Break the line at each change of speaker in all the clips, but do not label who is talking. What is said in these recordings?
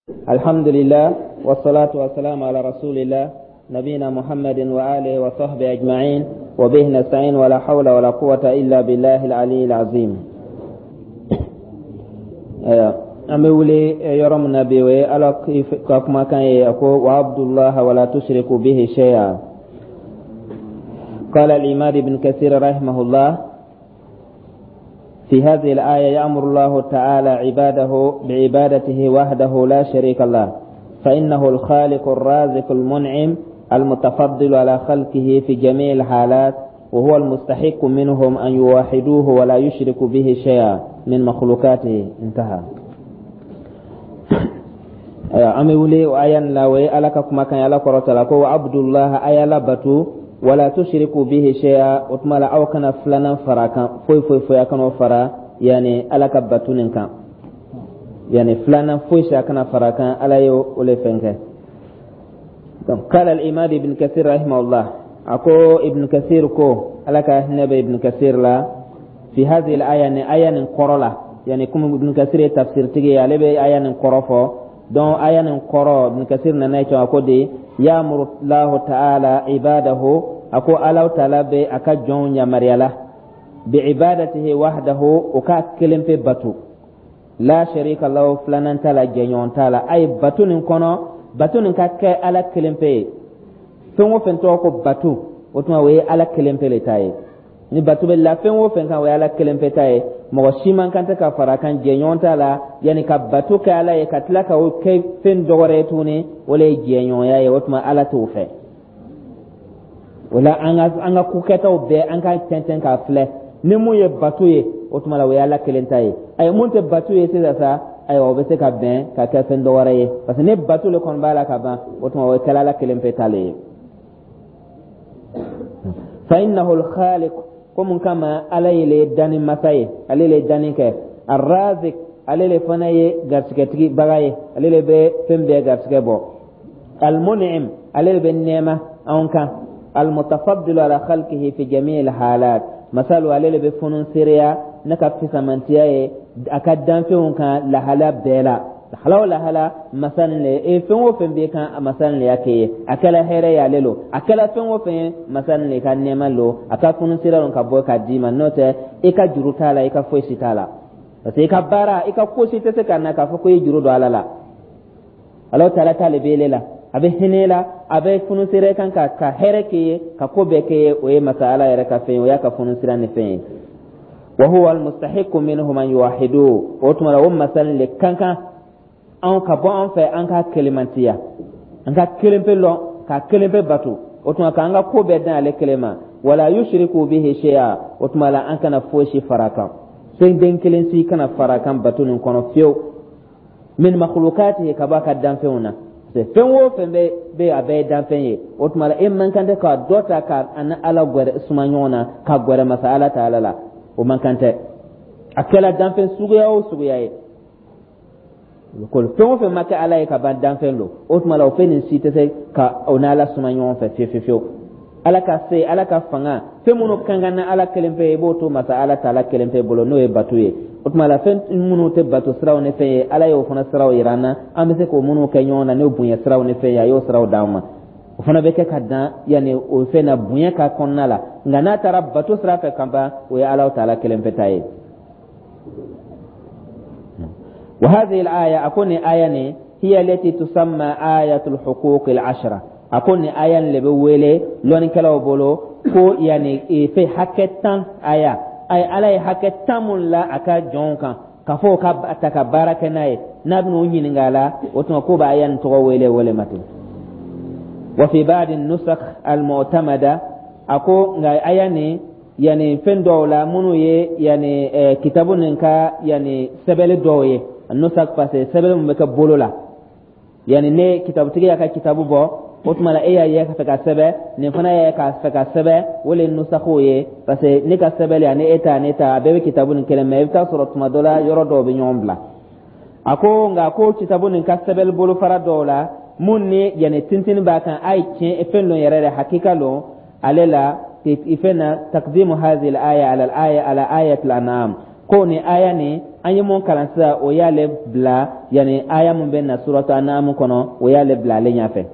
الحمد لله والصلاة والسلام على رسول الله نبينا محمد وآله وصحبه أجمعين، وبه نستعين، ولا حول ولا قوة إلا بالله العلي العظيم. An bɛ wuli yɔrɔ min na bi, o ye Ala ka kumakan ye. A ko: واعبدوا الله ولا تشركوا به شيئا. قال العماد بن كثير رحمه الله: في هذه الآية يأمر الله تعالى عباده بعبادته وحده لا شريك له، فإنه الخالق الرازق المنعم المتفضل على خلقه في جميع الحالات، وهو المستحق منهم أن يوحدوه ولا يشركوا به شيئا من مخلوقاته. انتهى. An bɛ wuli o aya nin la, o ye Ala ka kumakan ye. Ala kɔrɔta la ko: واعبدوا الله, a y'Ala batu, ولا تشركوا به شيئا, o tuma la aw kana filanan fara kan foyi foyi foyi, a kana fara yani Ala ka batu nin kan, yani filanan foyi si a kana fara kan. Ala ye o le fɛn kɛ. Donc قال العماد ابن كثير رحمه الله, a ko Ibn Kathir ko, Ala ka hinɛ bɛ Ibn Kathir la, في هذه الآية, ni aya nin kɔrɔ la, yani komi Ibn Kathir ye tafsir tigi ye, ale bɛ aya nin kɔrɔ fɔ. Donc aya nin kɔrɔ, Ibn Kathir nana ye a ko de: يأمر الله تعالى عباده, a ko Ala taala bɛ a ka jɔnw yamaruya la, بعبادته وحده, o ka kelen pe batu, لا شريك له, filanan t'a la, jɛɲɔgɔn t'a la. A ye batu nin kɔnɔ, batu nin ka kɛ Ala kelen pe ye. Fɛn o fɛn tɔgɔ ko batu, o tuma o ye Ala kelen pe le ta ye. Ni batu bɛ la fɛn o fɛn kan, o ye Ala kelen pe ta ye. Mɔgɔ si man kan tɛ ka fara kan, jɛɲɔgɔn t'a la. Yanni ka batu kɛ Ala ye ka tila ka o kɛ fɛn dɔ wɛrɛ ye tuguni, o le ye jɛɲɔgɔnya ye. O tuma Ala t'o fɛ. O la an ka ko kɛtaw bɛɛ, an ka tɛntɛn k'a filɛ ni mun ye batu ye, o tuma la o ye Ala kelen ta ye. Ayi, mun tɛ batu ye sisan sa, ayiwa, o bɛ se ka bɛn ka kɛ fɛn dɔ wɛrɛ ye, parce que ni batu le kɔni b'a la ka ban, o tuma o ye kɛla Ala kelen pe ta le ye. فإنه الخالق, ko mun kama? Ala ye le danni masa ye, ale le danni kɛ. الرازق, ale le fana ye garisigɛtigi baga ye, ale le bɛ fɛn bɛɛ garisigɛ bɔ. المنعم, ale le bɛ nɛɛma anw kan. المتفضل على خلقه في جميع الحالات, masalu ale le bɛ funu seereya ne ka fisamantiya ye a ka danfɛnw kan lahala bɛɛ la. Lahala o lahala, masa nin le e fɛn o fɛn b'e kan, a masa nin le y'a kɛ ye. A kɛla hɛrɛ ye ale lo, a kɛla fɛn o fɛn ye, masa nin le ka nɛɛma lo, a ka funu sira lo ka bɔ k'a d'i ma. N'o tɛ, i ka juru t'a la, i ka foyi si t'a la, parce que i ka baara, i ka ko si tɛ se ka na k'a fɔ ko i ye juru don Ala la. Ala taala t'ale bɛ ele la, a bɛ hinɛ la, a bɛ funu sira kan ka hɛrɛ k'i ye, ka ko bɛɛ k'i ye. O ye masa Ala yɛrɛ ka fɛn ye, o y'a ka funu sira ni fɛn ye. وهو المستحق منهم أن يوحدوه, o tuma la o masa nin le kan kan anw ka bɔ an fɛ an ka kelemantiya, an ka kelen pe lɔn, ka kelen pe batu. O tuma k'an ka ko bɛɛ dan ale kelen ma. ولا يشركوا به شيئا, o tuma la an kana foyi si fara kan, fɛn den kelen si kana fara kan batu nin kɔnɔ fiyewu, من مخلوقاته, ka bɔ a ka danfɛnw na. Fɛn o fɛn bɛ, a bɛɛ ye danfɛn ye. O tuma la e man kan tɛ ka dɔ ta ka ani Ala gwɛrɛ suma ɲɔgɔn na, ka gwɛrɛ masa Ala ta Ala la. O man kan tɛ, a kɛla danfɛn suguya o suguya ye. Ko fɛn o fɛn ma kɛ Ala ye ka ban, danfɛn don. O tuma la o fɛn nin si tɛ se ka o n'Ala suma ɲɔgɔn fɛ fiyewu fiyewu. Ala ka se, Ala ka fanga, fɛn minnu kan kan ni Ala kelen pe ye, i b'o to masa Ala ta Ala kelen pe bolo, n'o ye batu ye. O tuma la fɛn minnu tɛ bato siraw ni fɛn ye, Ala y'o fana siraw yira an na, an bɛ se k'o minnu kɛ ɲɔgɔn na, n'o bonya siraw ni fɛn ye, a y'o siraw d'an ma. O fana bɛ kɛ ka dan yanni o fɛn na bonya ka kɔnɔna la. Nka n'a taara bato sira fɛ ka ban, o ye Ala ta Ala kelen pe ta ye. وهذه الآية, a ko nin aya nin, هي التي تسمى آية الحقوق العشرة. A ko nin aya nin le bɛ wele lɔnnikɛlaw bolo ko yanni fɛn hakɛ 10 aya. Ay, Ala ye hakɛ 10 mun la a ka jɔnw kan, ka fɔ ka ta ka baara kɛ n'a ye, n'a bɛn'o ɲininka a la, o tuma k'o b'a aya nin tɔgɔ wele o le ma ten. وفي بعض النسخ المعتمدة, a ko nka aya nin, yani fɛn dɔw la minnu ye yani kitabu nin ka yani sɛbɛnni dɔw ye, نسخ, parce que sɛbɛnni mun bɛ kɛ bolo la, yani ne kitabutigi y'a ka kitabu bɔ, o tuma la e y'a ye ka fɛ ka sɛbɛn, nin fana y'a ye ka fɛ ka sɛbɛn, o le ye nusakhiw ye. Parce que ne ka sɛbɛnni ani e ta ne ta, a bɛɛ bɛ kitabu nin kelen, mais i bɛ taa sɔrɔ tuma dɔ la yɔrɔ dɔw bɛ ɲɔgɔn bila. A ko nka ko kitabu nin ka sɛbɛnni bolofara dɔw la mun ni yani tintini b'a kan, a ye tiɲɛ fɛn dɔ yɛrɛ de hakika lon ale la fɛn na, تقديم هذه الآية على الآية على آية الأنعام, ko ni aya ni an y'a ta ka aya nin ta ka aya An ye mun kalan sisan, o y'ale bila, yani aya mun bɛ na suratu An'am kɔnɔ, o y'ale bila ale ɲɛfɛ.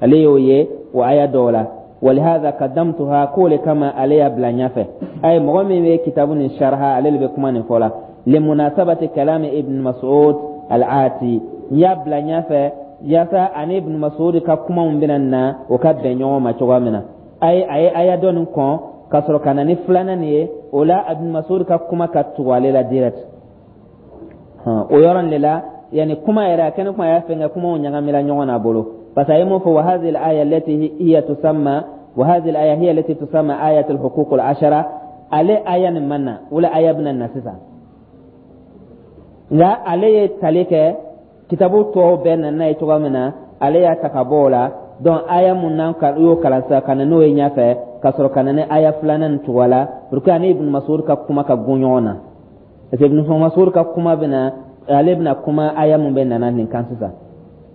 Ale y'o ye o aya dɔw la. Walihada kadamtuha, k'o le kama ale y'a bila ɲɛfɛ. A ye mɔgɔ min bɛ kitabu nin sharha, ale de bɛ kuma nin fɔ la. Limunasabati kalami Ibn Mas'ud al-ati, n y'a bila ɲɛfɛ yaasa ani Ibn Mas'ud ka kumaw bɛna na, o ka bɛn ɲɔgɔn ma cogoya min na. A ye aya dɔ nin kɔn ka sɔrɔ ka na ni filanan nin ye, o la Ibn Mas'ud ka kuma ka tugu ale la direct o yɔrɔ nin de la. Yani kuma yɛrɛ a kɛnɛ kuma y'a fɛn kɛ, kumaw ɲagamina ɲɔgɔn na bolo, parce que a ye mun fɔ? Wa hadhihi al-aya allati hiya tusamma, wa hadhihi al-aya hiya allati tusamma ayat al-huquq al-ashara. Ale aya nin man na, wala aya bɛna na sisan, nka ale ye tali kɛ kitabu tɔw bɛɛ nana n'a ye cogoya min na, ale y'a ta ka bɔ o la. Donc aya mun n'an ka y'o kalan sisan, ka na n'o ye ɲɛfɛ, ka sɔrɔ ka na ni aya filanan nin cogoya la, pour que ani Ibn Mas'ud ka kuma ka gun ɲɔgɔn na, parce que Ibn Mas'ud ka kuma bɛna, ale bɛna kuma aya mun bɛ nana nin kan sisan,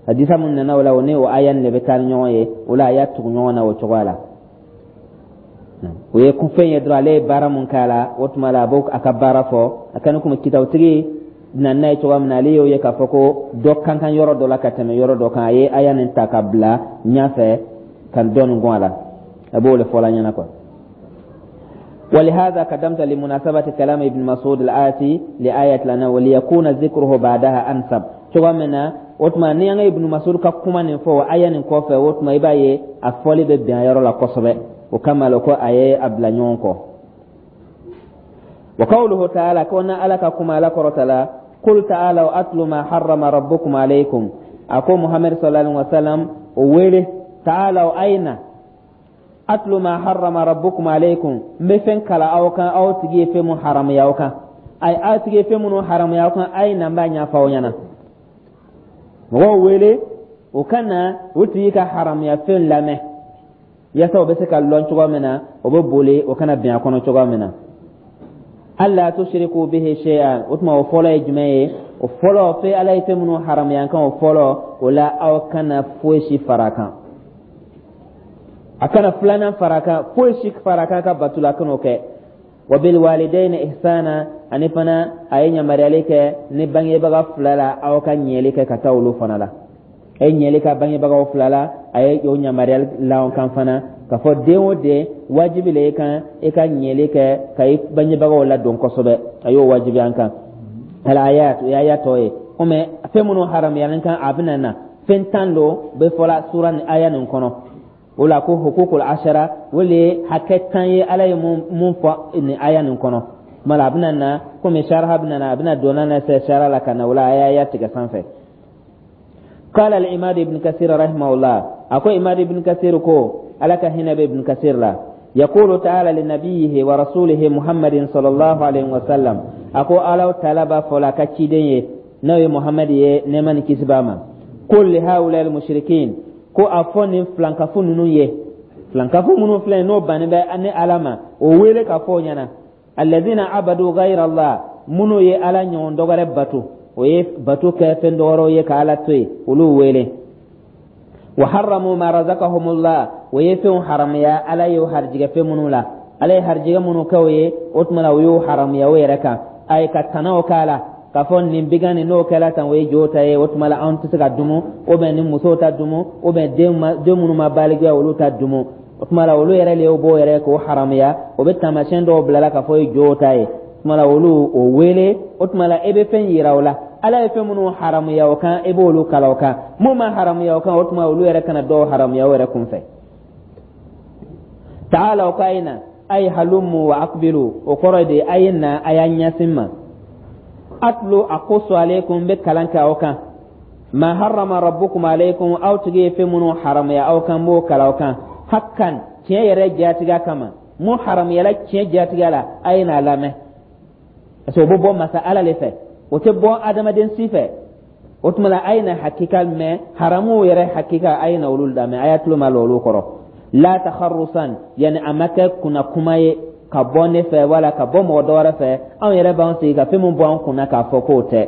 hadisa mun nana o la, o ni o aya nin de bɛ taa ni ɲɔgɔn ye. O la a y'a tugu ɲɔgɔn na o cogoya la. O ye kunfɛn ye dɔrɔn, ale ye baara mun k'a la, o tuma la a b'o a ka baara fɔ. A kɛni komi kitabutigi na n'a ye cogoya min na, ale y'o ye k'a fɔ ko dɔ kan kan yɔrɔ dɔ la ka tɛmɛ yɔrɔ dɔ kan, a ye aya nin ta ka bila ɲɛfɛ ka dɔ nin gɔn a la, a b'o de fɔ la ɲɛna quoi. ولهذا قدمت لمناسبة كلام ابن مسعود الآتي لآية لنا وليكون ذكره بعدها أنسب. Cogoya min na, o tuma ni an ka Ibn Mas'ud ka kuma nin fɔ aya nin kɔfɛ, o tuma i b'a ye a fɔli bɛ bɛn a yɔrɔ la kosɛbɛ. O kama la ko a ye a bila ɲɔgɔn kɔ. Wa qawluhu ta'ala, ko na Ala ka kuma, Ala kɔrɔta la: qul ta'alaw atlu ma harrama rabbukum alaykum. A ko Muhammad sallallahu alaihi wasallam o wele: ta'alaw, ayna, atlu ma harrama rabbukum alaykum, n bɛ fɛn kala aw kan, aw tigi ye fɛn mun haramuya aw kan. Ay, aw tigi ye fɛn minnu haramuya aw kan, a ye na, n b'a ɲɛfɔ aw ɲɛna. Mɔgɔw wele o ka na o tigi ka haramuya fɛn lamɛn, yaasa o bɛ se ka lɔn cogoya min na, o bɛ boli o kana bin a kɔnɔ cogoya min na. Alla tushriku bihi shay'an. O tuma o fɔlɔ ye jumɛn ye? O fɔlɔ fɛn Ala ye fɛn minnu haramuya kan, o fɔlɔ o la, aw kana foyi si fara a kan. A kana filanan fara a kan, foyi si fara a kan ka bato la, a kan'o kɛ. Wa bil walidayni ihsana, ani fana a ye yamaruyali kɛ ni bangebaga fila la, aw ka ɲɛli kɛ ka taa olu fana la. A ye ɲɛli kɛ bangebagaw fila la, a ye o yamaruyali la kan fana k'a fɔ den o den, wajibi le i kan i ka ɲɛli kɛ ka i bangebagaw ladon kosɛbɛ. A y'o wajibi an kan. Al-ayat, o ye aya tɔ ye. Komi fɛn minnu haramuyalen kan, a bɛna na fɛn 10 don bɛ fɔla sura ni aya nin kɔnɔ. O la ko hukukul ashara, o le ye hakɛ 10 ye Ala ye mun fɔ nin aya nin kɔnɔ. Tuma la a bɛna na, komi saraha bɛna na, a bɛna don n'a na se sara la ka na o la, a y'a aya tigɛ sanfɛ. قال العماد ابن كثير رحمه الله، أكو عماد ابن كثير كو ألك هنا ابن كثير لا، يقول تعالى لنبيه ورسوله محمد صلى الله عليه وسلم، أكو الله تعالى فلا كتشيدين نبي محمد نمان كسباما: قل لهؤلاء المشركين، ko a fɔ nin filankafu ninnu ye, filankafu minnu filɛ n'o bannen bɛ ni Ala ma, o wele ka fɔ o ɲɛna: alladhina abadu ghayra Allah, minnu ye Ala ɲɔgɔn dɔ wɛrɛ bato, o ye bato kɛ fɛn dɔ wɛrɛw ye ka Ala to yen, olu wele. Wa harramu ma razaqahumullah, o ye fɛnw haramuya Ala y'o harijigɛ fɛn minnu la, Ala ye harijigɛ minnu kɛ o ye, o tuma na o y'o haramuya o yɛrɛ kan. A ye ka tanaw k'a la k'a fɔ nin bigan nin, n'o kɛla tan, o ye jo ta ye, o tuma la anw tɛ se ka dumu, o bɛn ni musow ta dumu, o bɛn den ma, den minnu ma balikuya, olu ta dumu. O tuma la olu yɛrɛ de y'o b'o yɛrɛ k'o haramuya, o bɛ taamasiyɛn dɔw bila la k'a fɔ o ye jo ta ye. O tuma la olu o wele, o tuma la e bɛ fɛn yira o la, Ala ye fɛn minnu haramuya o kan, e b'olu kalan o kan. Mun ma haramuya o kan, o tuma olu yɛrɛ kana dɔw haramuya o yɛrɛ kunfɛ. Ta'ala, o k'a ye na, ay halumu wa akbilu, o kɔrɔ de a ye na, a y'a ɲɛsin ma. Atlu aqussu alaykum, bɛ kalan kɛ aw kan, ma harrama rabbukum alaykum, aw tigi ye fɛn minnu haramuya aw kan, b'o kalan aw kan, hakkan, tiɲɛ yɛrɛ jatigiya kama. Mun haramuyala tiɲɛ jatigiya la, a ye n'a lamɛn, parce que o bɛ bɔ masa Ala le fɛ, o tɛ bɔ adamaden si fɛ. O tuma la a ye na hakika mɛn, haramuw yɛrɛ hakika, a ye na olu lamɛn, a y'a tulo ma lɔ olu kɔrɔ. La takharusan, yani a ma kɛ kunna kuma ye ka bɔ ne fɛ wala ka bɔ mɔgɔ dɔ wɛrɛ fɛ, anw yɛrɛ b'an sigi ka fɛn min bɔ an kunna k'a fɔ k'o tɛ,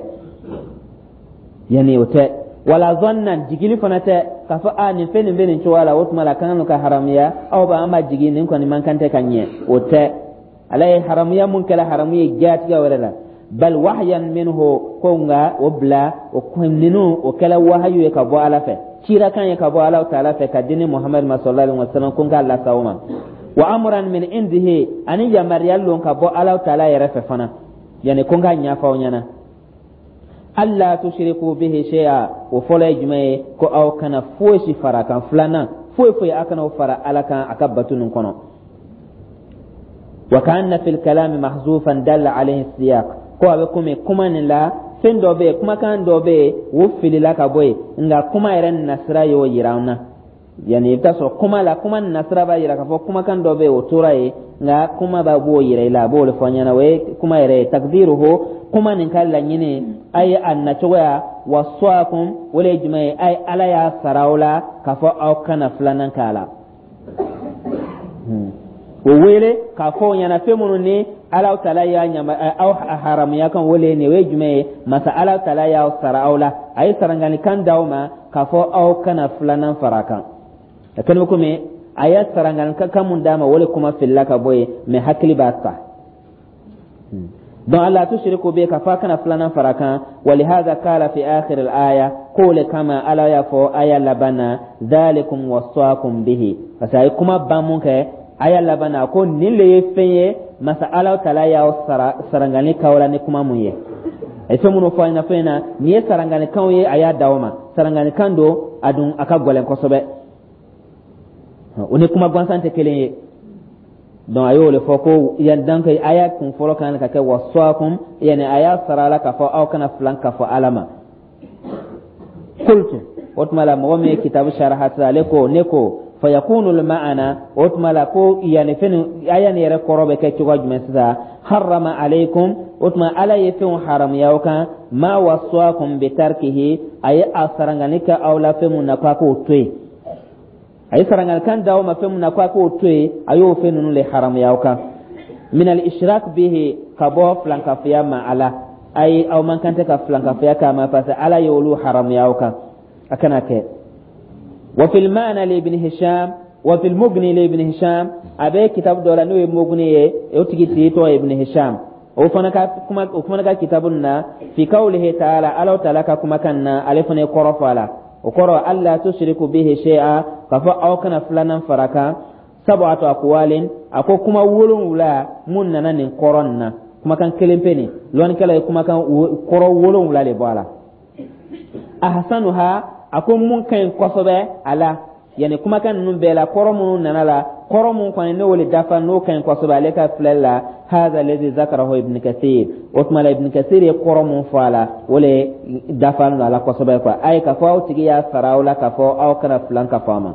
yani o tɛ. Wala zannan, jigili fana tɛ k'a fɔ a nin fɛn nin bɛ nin cogoya la, o tuma la kan ka haramuya, aw b'a an b'a jigi nin kɔni man kan tɛ ka ɲɛ, o tɛ. Ala ye haramuya mun kɛla haramu ye jatigɛ wɛrɛ la. Bal wahyan minhu, ko nka o bila o ninnu, o kɛla wahayu ye ka bɔ Ala fɛ, cirakan ye ka bɔ Ala taala fɛ ka di ne Muhamadu ma sallallahu alaihi wasallam, ko n k'a lase aw ma. Wa amran min indihi, ani yamaruya lon ka bɔ Ala taala yɛrɛ fɛ fana, yani ko n k'a ɲɛfɔ aw ɲɛna. Alla tushriku bihi shay'a, o fɔlɔ ye jumɛn ye? Ko aw kana foyi si fara a kan. Filanan, foyi foyi aw kana o fara Ala kan a ka bato nin kɔnɔ. Wa ka'anna fil kalami mahzufan dalla alayhi siyaq, ko a bɛ komi kuma nin la, fɛn dɔ bɛ yen, kumakan dɔ bɛ yen, o filila ka bɔ yen, nka kuma yɛrɛ nasira y'o yira an na. Yani i bɛ taa sɔrɔ kuma la, kuma nasira b'a yira k'a fɔ kumakan dɔ bɛ yen, o tora yen, nka kuma b'a b'o yira i la, a b'o de fɔ an ɲɛna. O ye kuma yɛrɛ ye. Takdiruhu, kuma nin ka laɲini a ye a nacogoya, wasaakum, o de ye jumɛn ye? A ye Ala y'a sara aw la k'a fɔ aw kana filanan k'a la. O wele k'a fɔ o ɲɛna, fɛn minnu ni Ala taala y'a ɲama aw haramuya kan, o le ye nin ye. O ye jumɛn ye? Masa Ala taala y'aw sara aw la, a ye saranganikan d'aw ma k'a fɔ aw kana filanan fara a kan. A kɛlen bɛ komi a ye saranganikan mun d'a ma, o le kuma filila ka bɔ yen, mɛ hakili b'a ta. Donc alla tushriku bihi, k'a fɔ a kana filanan fara kan. Walihada kala fi akhir al-aya, k'o le kama Ala y'a fɔ aya laban na: dhalikum wasaakum bihi, parce que a ye kuma ban mun kɛ aya laban na, ko nin le ye fɛn ye masa Ala taala y'aw sara sarangani k'aw la ni kuma mun ye. A ye fɛn minnu fɔ an ɲɛna fɛn in na, nin ye saranganikanw ye a y'a d'aw ma. Saranganikan don, a dun a ka gɛlɛn kosɛbɛ, o ni kuma gansan tɛ kelen ye. Donc a y'o le fɔ ko yan, donc aya kun fɔlɔ kan ka kɛ wasaakum, yani a y'a sara la k'a fɔ aw kana filan ka fɔ Ala ma. Qultu, o tuma la, mɔgɔ min ye kitabu saraha sisan, ale ko, ne ko: fayakunu lma'ana, o tuma la ko yani fɛn aya nin yɛrɛ kɔrɔ bɛ kɛ cogoya jumɛn sisan? Harrama alaykum, o tuma Ala ye fɛnw haramuya aw kan. Ma wasaakum bitarkihi, a ye a sarangani kɛ aw la fɛn mun na k'a k'o to yen, a ye saranganikan d'aw ma fɛn mun na k'a k'o to yen, a y'o fɛn ninnu le haramuya aw kan. Min al ishrak bihi, ka bɔ filankafoya ma ala ayi, aw man kan tɛ ka filankafoya k'a ma, parce que Ala ye olu haramuya aw kan, a kana kɛ. Wa fil ma'na li Ibn Hisham, wa fil Mughni li Ibn Hisham, a bɛ kitabu dɔ la n'o ye Mughni ye, o tigi tɔgɔ ye Ibn Hisham, o fana ka kuma, o fana ka kitabu na, fi qawlihi ta'ala, Ala ta'ala ka kumakan na, ale fana ye kɔrɔ fɔ a la. O kɔrɔ alla tushriku bihi shay'a, k'a fɔ aw kana filanan fara kan. Sab'atu aqwalin, a ko kuma 7 mun nana nin kɔrɔ nin na, kumakan kelen pe nin, lɔnnikɛla ye kumakan kɔrɔ 7 de bɔ a la. Ahsanuha, a ko mun ka ɲi kosɛbɛ a la, yani kumakan ninnu bɛɛ la, kɔrɔ minnu nana la, kɔrɔ mun kɔni n'o le dafa, n'o ka ɲi kosɛbɛ ale ka filɛli la, hadha alladhi zakarahu Ibn Kathir, o tuma la Ibn Kathir ye kɔrɔ mun fɔ a la, o le dafa don a la kosɛbɛ quoi. A ye k'a fɔ aw tigi y'a sara aw la k'a fɔ aw kana filan ka fɔ a ma,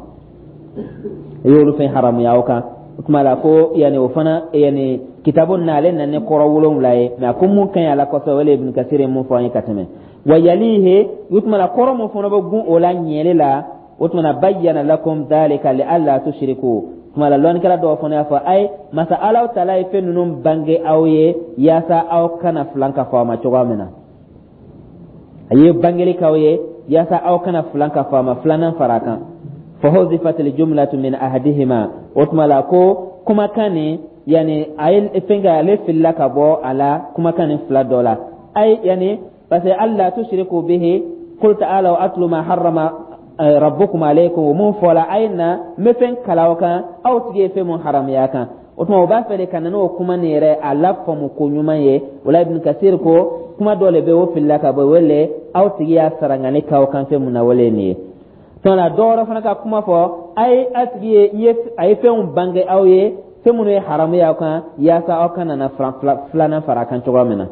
i y'olu fɛn haramuya aw kan. O tuma la ko yani o fana, yani kitabu na, ale nana ni kɔrɔ 7 ye, mɛ a ko mun ka ɲi a la kosɛbɛ, o le Ibn Kathir ye mun fɔ an ye ka tɛmɛ. Wa yalihi, o tuma la kɔrɔ mun fana bɛ gun o la ɲɛli la, o tuma na bayyana lakum dhalika li alla tushriku. Tuma la lɔnnikɛla dɔw fana y'a fɔ ayi, masa Ala taala ye fɛn ninnu bange aw ye yaasa aw kana filan ka fɔ a ma cogoya min na. A ye bangeli k'aw ye yaasa aw kana filan ka fɔ a ma, filanan fara a kan. Fa huzifat aljumlatu min ahadihima, o tuma la ko kumakan nin, yani a ye fɛn kɛ, ale filila ka bɔ a la kumakan nin fila dɔ la. Ayi, yani parce que alla tushriku bihi, qul ta'ala atlu ma harrama rabbukum alaykum, o mun fɔla, a ye na n bɛ fɛn kalan aw kan aw tigi ye fɛn mun haramuya kan. O tuma o b'a fɛ de ka na n'o kuma nin yɛrɛ a lafaamu ko ɲuman ye. O la Ibn Kasir ko kuma dɔ le bɛ, o filila ka bɔ, o le aw tigi y'a sarangani k'aw kan fɛn mun na, o le ye nin ye. Tuma la dɔ wɛrɛ fana ka kuma fɔ a ye, a tigi ye a ye fɛnw bange aw ye, fɛn minnu ye haramu y'aw kan, yaasa aw kana na filanan fara a kan cogoya min na.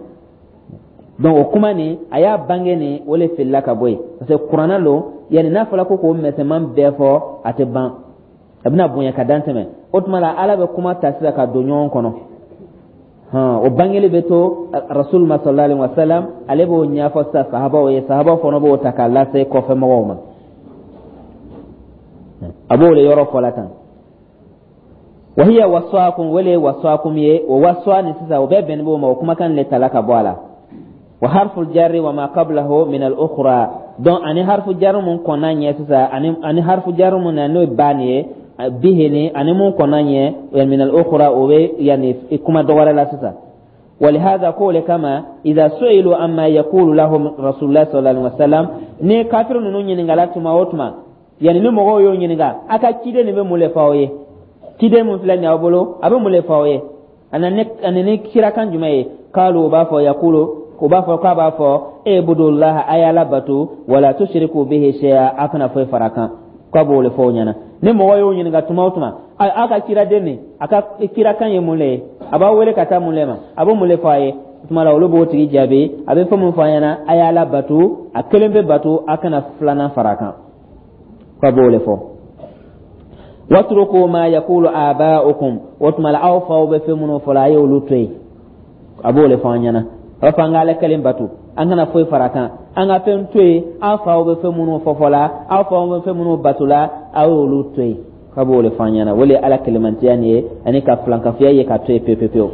Donc o kuma nin a y'a bange nin, o le filila ka bɔ yen, parce que kuranna lo, yani n'a fɔra ko k'o mɛsɛman bɛɛ fɔ, a tɛ ban, a bɛna bonya ka dan tɛmɛ. O tuma la Ala bɛ kuma ta sisan ka don ɲɔgɔn kɔnɔ. O bangeli bɛ to rasul ma sallallahu alaihi wasallam, ale b'o ɲɛfɔ sisan sahabaw ye, sahabaw fana b'o ta k'a lase kɔfɛ mɔgɔw ma. A b'o le yɔrɔ fɔ la tan. Wahiya wasaakum, wele wasaakum ye o waswa ni sisan, o bɛɛ bɛnnen b'o ma, o kumakan le tala ka bɔ a la. Wa harfu jarri wa ma qablahu min al ukhra, donc ani harfu jarri mun kɔnna ɲɛ sisan, ani harfu jarri mun na n'o ye ba nin ye, bihi ni ani mun kɔnna ɲɛ, min al ukhra, o bɛ yani kuma dɔ wɛrɛ la sisan. Walihada, ko le kama, idha su'ilu amma yaqulu lahum rasulullah sallallahu alaihi wasallam, ni kafir ninnu ɲininkala tuma o tuma, yani ni mɔgɔw y'o ɲininka, a ka ciden nin bɛ mun le fɔ aw ye? Ciden mun filɛ nin y'aw bolo, a bɛ mun le fɔ aw ye? A nana ni kirakan jumɛn ye? Kalu, u b'a fɔ, yakulu, u b'a fɔ k'a b'a fɔ: ibudullaha, a y'Ala bato, wala tushriku bihi shay'a, a kana foyi fara kan. K'a b'o le fɔ o ɲɛna. Ni mɔgɔ y'o ɲininka tuma o tuma, a ka kiraden nin, a ka kirakan ye mun le ye? A b'aw wele ka taa mun le ma? A bɛ mun le fɔ a ye? O tuma la, olu b'o tigi jaabi: a bɛ fɛn mun fɔ a ɲɛna, a y'Ala bato, a kelen bɛ bato, a kana filanan fara a kan. K'a b'o le fɔ. Watruku ma yakulu aba'ukum, o tuma la, aw faw bɛ fɛn minnu fɔ la, a y'olu to yen. A b'o le fɔ an ɲɛna. A b'a fɔ an ka Ala kelen bato, an kana foyi fara kan, an ka fɛn to yen. Aw faw bɛ fɛn minnu fɔ fɔ la, aw faw bɛ fɛn minnu bato la, aw y'olu to yen. K'a b'o le fɔ an ɲɛna. O le ye Ala kelemantiya nin ye, ani ka filankafoya ye ka to yen pewu pewu.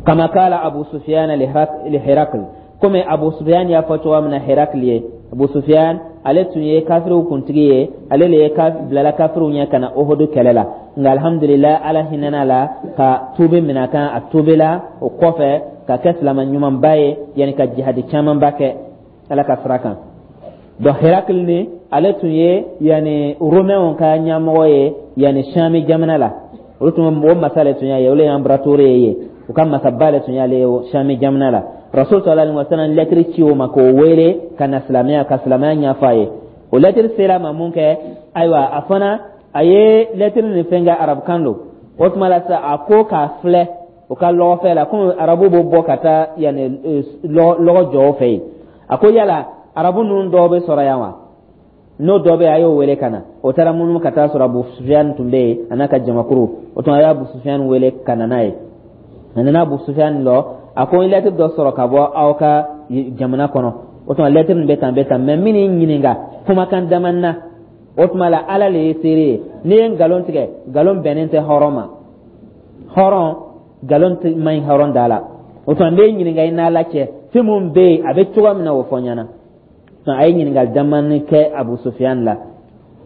Kama kala Abu Sufyan li Herakl, komi Abu Sufyan y'a fɔ cogoya min na Herakl ye. Abu Sufyan, ale tun ye kafiriw kuntigi ye, ale le ye bilala kafiriw ɲɛ ka na Ohudu kɛlɛ la. Nka alhamdulillah, Ala hinɛna la ka tuubi minɛ a kan. A tuubila o kɔfɛ ka kɛ silama ɲumanba ye, yanni ka jihadi camanba kɛ Ala ka sira kan. Donc Herakili ni, ale tun ye yanni Romɛnw ka ɲɛmɔgɔ ye, yanni Sami jamana la. Olu tun o masa le tun y'a ye, olu ye empereur ye, u ka masaba le tun y'ale ye Sami jamana la. Rasul sallallahu alaihi wasallam lɛtiri ci o ma k'o wele ka na silamɛya, ka silamɛya ɲɛfɔ a ye. O lɛtiri sera a ma mun kɛ? Ayiwa, a fana a ye lɛtiri nin fɛn kɛ, arabukan don. O tuma la sisan, a ko k'a filɛ o ka lɔgɔfɛ la, komi arabu b'o bɔ ka taa yanni lɔgɔ jɔ o fɛ yen. A ko: yala arabu ninnu dɔw bɛ sɔrɔ yan wa? N'o dɔ bɛ yen, a y'o wele ka na. O taara munumunu ka taa sɔrɔ Abu Sufiyan tun bɛ yen, a n'a ka jamakuru. O tuma, a ye Abu Sufiyan wele ka na n'a ye. A nana Abu Sufiyan lɔ. A ko: n ye lɛtiri dɔ sɔrɔ ka bɔ aw ka jamana kɔnɔ. O tuma, lɛtiri nin bɛ tan, bɛ tan, mɛ min y'i ɲininka kumakan dama na. O tuma la, Ala le ye seere ye, n'i ye nkalon tigɛ, nkalon bɛnnen tɛ hɔrɔn ma. Hɔrɔn, nkalon man ɲi hɔrɔn da la. O tuma, n b'e ɲininka i n'Ala cɛ, fɛn mun bɛ yen, a bɛ cogoya min na, o fɔ n ɲɛna. A ye ɲininkali damani kɛ Abu Sufiyan la: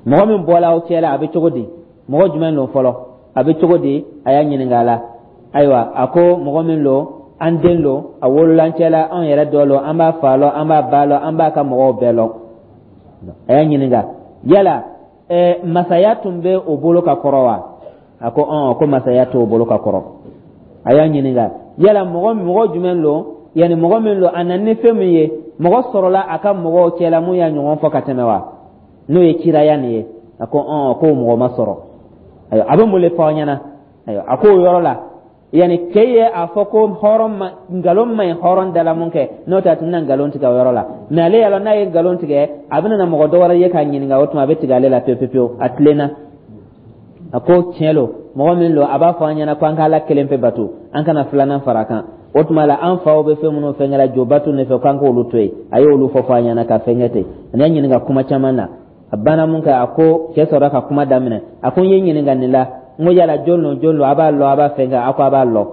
mɔgɔ min bɔla aw cɛ la, a bɛ cogo di? Mɔgɔ jumɛn don fɔlɔ? A bɛ cogo di? A y'a ɲininka a la. Ayiwa, a ko: mɔgɔ min don, an den don, a wolola an cɛ la, anw yɛrɛ dɔ lɔ, an b'a fa lɔ, an b'a ba lɔ, an b'a ka mɔgɔw bɛɛ lɔ. A y'a ɲininka: yala masaya tun bɛ o bolo ka kɔrɔ wa? A ko: ɔn, ko masaya t'o bolo ka kɔrɔ. A y'a ɲininka: yala mɔgɔ jumɛn don, yanni mɔgɔ min don, a nana ni fɛn min ye, mɔgɔ sɔrɔla a ka mɔgɔw cɛla mun y'a ɲɔgɔn fɔ ka tɛmɛ wa, n'o ye kiraya nin ye? A ko: ɔn, k'o mɔgɔ ma sɔrɔ. Ayiwa, a bɛ mun le fɔ aw ɲɛna? Ayiwa, a k'o yɔrɔ la, yanni cɛ ye a fɔ ko hɔrɔn ma, nkalon man ɲi hɔrɔn da la mun kɛ, n'o tɛ a tun bɛna nkalon tigɛ o yɔrɔ la. Mɛ ale y'a lɔn n'a ye nkalon tigɛ, a bɛna na mɔgɔ dɔ wɛrɛ ye k'a ɲininka, o tuma a bɛ tigɛ ale la pewu pewu. A tilenna, a ko: tiɲɛ lo, mɔgɔ min don, a b'a fɔ an ɲɛna ko an ka Ala kelen pe bato, an kana filanan fara kan. O tuma la, an faw bɛ fɛn minnu fɛnkɛ la, jo bato ne fɛ, k'an k'olu to yen. A y'olu fɔ an ɲɛna ka fɛnkɛ ten. A y'a ɲininka kuma caman na. A banna mun kɛ, a ko cɛ sɔrɔ ka kuma daminɛ. A ko: n ye ɲininka nin la, n ko yala jɔn don, jɔn don, a b'a lɔn, a b'a fɛnkɛ? A ko a b'a lɔn.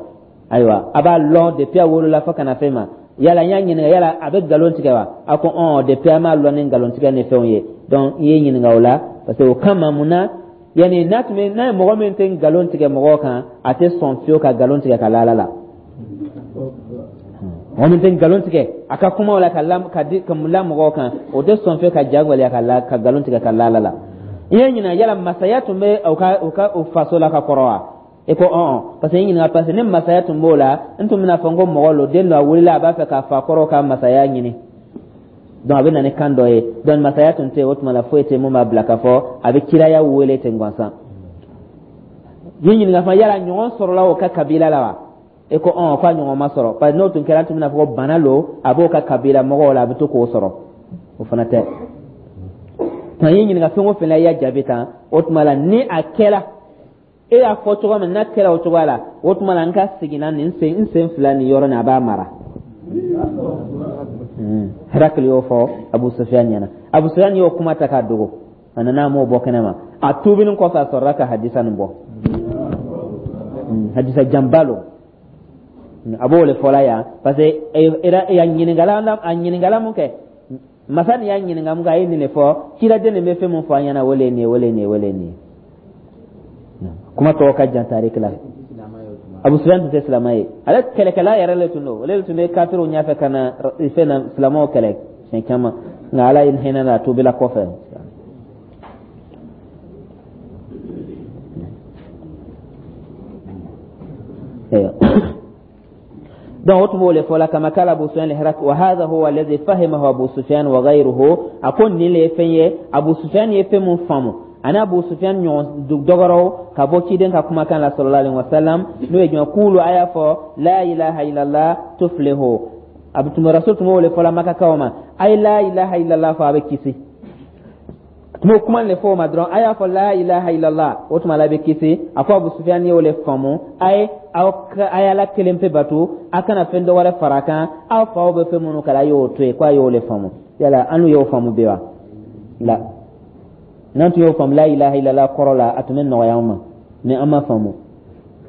Ayiwa, a b'a lɔn depuis a wolola fo ka na fɛn ma. Yala n y'a ɲininka, yala a bɛ nkalon tigɛ wa? A ko: ɔn, depuis an b'a lɔn ni nkalon tigɛ ni fɛnw ye. Donc n ye ɲininka o la parce que o kama mun na, yanni n'a tun bɛ n'a ye mɔgɔ min tɛ nkalon tigɛ mɔgɔw kan, a tɛ sɔn fiyewu ka nkalon tigɛ ka la Ala la. Mɔgɔ min tɛ nkalon tigɛ a ka kumaw la ka la ka di ka la mɔgɔw kan, o tɛ sɔn fiyewu ka ja gwɛlɛya ka la ka nkalon tigɛ ka la Ala la. I ye ɲininka: yala masaya tun bɛ o ka o faso la ka kɔrɔ wa? E ko: ɔn, parce que n ɲininka parce que ni masaya tun b'o la, n tun bɛna fɔ n ko mɔgɔ lo, den dɔ a wulila, a b'a fɛ k'a fa kɔrɔ ka masaya ɲini. Donc a bɛ na ni kan dɔ ye. Donc masaya tun tɛ yen, o tuma la foyi tɛ mun b'a bila k'a fɔ a bɛ kiraya wele ten gansan. I ye ɲininka fana: yala ɲɔgɔn sɔrɔla o ka kabila la wa? E ko: ɔn, k'a ɲɔgɔn ma sɔrɔ, parce que n'o tun kɛra, an tun bɛna fɔ ko bana lo, a b'o ka kabila mɔgɔw la, a bɛ to k'o sɔrɔ. O fana tɛ. Nka i ye ɲininka fɛn o fɛn la, i y'a jaabi tan. O tuma la, ni a kɛra e y'a fɔ cogo min n'a kɛra o cogoya la, o tuma la n ka seginna nin sen, n sen fila nin yɔrɔ nin, a b'a mara. Herakili y'o fɔ Abu Sufiyan ɲɛna. Abu Sufiyan y'o kuma ta k'a dogo, a nana, a m'o bɔ kɛnɛ ma. A tuubinin kɔfɛ, a sɔrɔla ka hadisa nin bɔ. Hadisa janba lo. A b'o le fɔla yan parce que a ɲininkala, a ɲininkala mun kɛ, masa nin y'a ɲininka mun kɛ, a ye nin de fɔ: ciraden nin bɛ fɛn mun fɔ an ɲɛna, o le ye nin ye, o le ye nin ye, o le ye nin ye. Kuma tɔgɔ ka jan tariki la. Abu Sufyan tun tɛ silamɛ ye, ale kɛlɛkɛla yɛrɛ le tun don. Ale tun bɛ kafiriw ɲɛfɛ ka na fɛn na, silamɛw kɛlɛ siɲɛ caman, nka Ala ye hinɛ na, a tubila kɔfɛ. Donc o tun b'o le fɔ la kama kala Abu Sufyan li wa hadha huwa alladhi fahimahu Abu Sufyan wa ghayruhu. A ko nin le ye fɛn ye, Abu Sufyan ye fɛn mun faamu ani Abu Sufyan ɲɔgɔn dɔgɔrɔw ka bɔ ciden ka kumakan la sallallahu alaihi wasallam, n'o ye jumɛn? Kulu, a y'a fɔ la ilaha illallah tuflihu. A tun Rasul tun b'o le fɔ la Makakaw ma: a ye la ilaha illallah fɔ, a bɛ kisi. A tun b'o kuma le fɔ o ma dɔrɔn: a y'a fɔ la ilaha illallah, o tuma la a bɛ kisi. A ko Abu Sufyan y'o le faamu: a ye aw a ye Ala kelen pe bato, a kana fɛn dɔ wɛrɛ fara a kan, aw faw bɛ fɛn minnu kɛla, a y'o to yen. Ko a y'o le faamu. Yala an n'u y'o faamu bi wa? La, n'an tun y'o faamu la ilaha illallah kɔrɔ la, a tun bɛ nɔgɔya an ma, mais an ma faamu.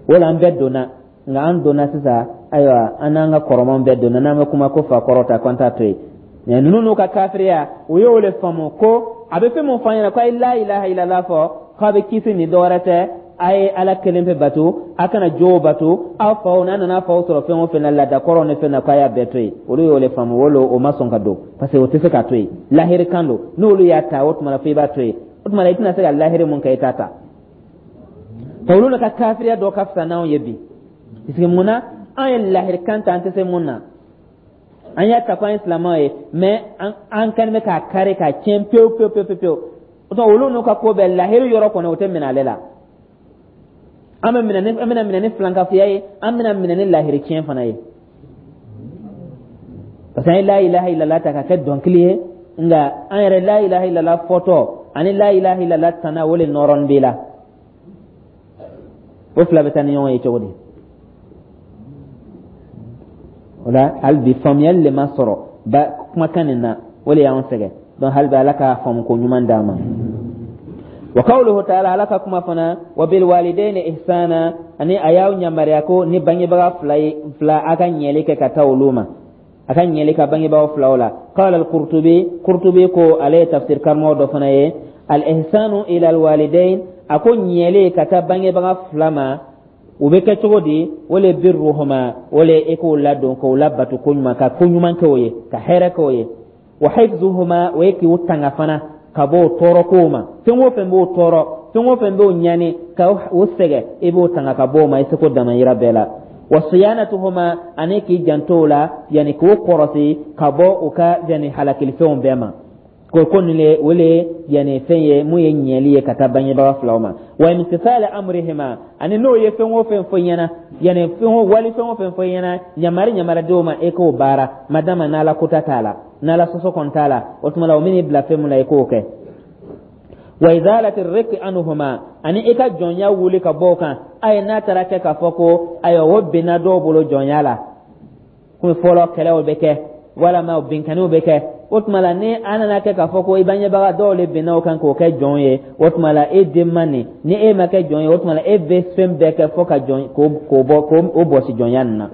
O la an bɛɛ donna, nka an donna sisan, ayiwa, an n'an ka kɔrɔmanw bɛɛ donna. N'an bɛ kuma ko fa kɔrɔ ta, ko an t'a to yen. Mɛ ninnu n'u ka kafiriya, u y'o le faamu ko a bɛ fɛn mun fɔ an ɲɛna ko a ye la ilaha illallah fɔ k'a bɛ kisi, nin dɔwɛrɛ tɛ, a ye Ala kelen pe bato, a kana jow bato, aw faw n'a nana faw sɔrɔ fɛn o fɛn na, laada kɔrɔw ni fɛn na, k'a y'a bɛɛ to yen. Olu y'o le faamu. O o ma sɔn ka don, parce que o tɛ se ka to yen, lahiri kan don. N'olu y'a ta, o tuma na fo i b'a to yen. O tuma na i tɛna se ka lahiri mun kɛ, i t'a ta. Olu ka kafiriya dɔ ka fisa n'anw ye bi, parce que mun na an ye lahiri kan ta, an tɛ se mun na? An y'a ta ko an ye silamɛw ye, mais an kɛlen bɛ k'a kari k'a tiɲɛ pewu pewu pewu pewu. O tuma olu n'u ka ko bɛɛ, lahiri yɔrɔ kɔni, o tɛ minɛ ale la. An bɛ minɛ ni, an bɛna minɛ ni filankafoya ye, an bɛna minɛ ni lahiri tiɲɛ fana ye, parce que an ye la ilaha illallah ta ka kɛ dɔnkili ye, nka an yɛrɛ la ilaha illallah fɔtɔ ani la ilaha illallah tana, o le nɔrɔnin b'i la. O fila bɛ taa ni ɲɔgɔn ye cogo di? O la hali bi faamuyali le ma sɔrɔ ba kumakan nin na, o le y'anw sɛgɛn. Donc hali bi Ala ka faamu ko ɲuman d'an ma. Wa qawluhu ta'ala, Ala ka kuma fana, wa bil walidayni ihsana, ani a y'aw yamaruya ko ni bangebaga fila ye fila, a ka ɲɛli kɛ ka taa olu ma, a ka ɲɛli ka bangebagaw filaw la. Qala al-Qurtubi, Qurtubi ko, ale ye tafsir karamɔgɔ dɔ fana ye, al-ihsanu ila al-walidain, a ko ɲɛli ka taa bangebaga fila ma, o bɛ kɛ cogo di? O le birruhuma, o le e k'o ladon, k'o labato ko ɲuman, ka ko ɲuman kɛ o ye, ka hɛrɛ kɛ o ye. Wa hifzuhuma, o ye k'u tanga fana ka bɔ o tɔɔrɔ kow ma. Fɛn o fɛn b'o tɔɔrɔ, fɛn o fɛn b'o ɲani ka o sɛgɛn, i b'o tanga ka bɔ o ma i seko damayira bɛɛ la. Wa siyanatuhuma, ani k'i janto o la, yanni k'o kɔrɔsi ka bɔ u ka yanni halakilifɛnw bɛɛ ma. Ko nin le, o le yanni fɛn ye mun ye ɲɛli ye ka taa bangebaga filaw ma. Wa imtisali amrihima, ani n'o ye fɛn o fɛn fɔ i ɲɛna, yanni fɛn o wali fɛn o fɛn fɔ i ɲɛna, yamari yamari ma, e k'o baara, madama n'Ala kota t'a la, n'Ala sɔsɔ kɔni t'a la. O tuma la o min'i bila fɛn mun na, i k'o kɛ. Wa izalati riki anhuma, ani i ka jɔnya wuli ka bɔ o kan. Ayi, n'a taara kɛ k'a fɔ ko ayiwa, o binna dɔw bolo jɔnya la, komi fɔlɔ kɛlɛw bɛ kɛ walama binkanniw bɛ kɛ, o tuma la ni an nana kɛ k'a fɔ ko i bangebaga dɔw le binna o kan k'o kɛ jɔn ye, o tuma la e den ma nin, ni e ma kɛ jɔn ye, o tuma la e bɛ fɛn bɛɛ kɛ fo ka jɔn k'o bɔ, k'o bɔsi jɔnya nin na.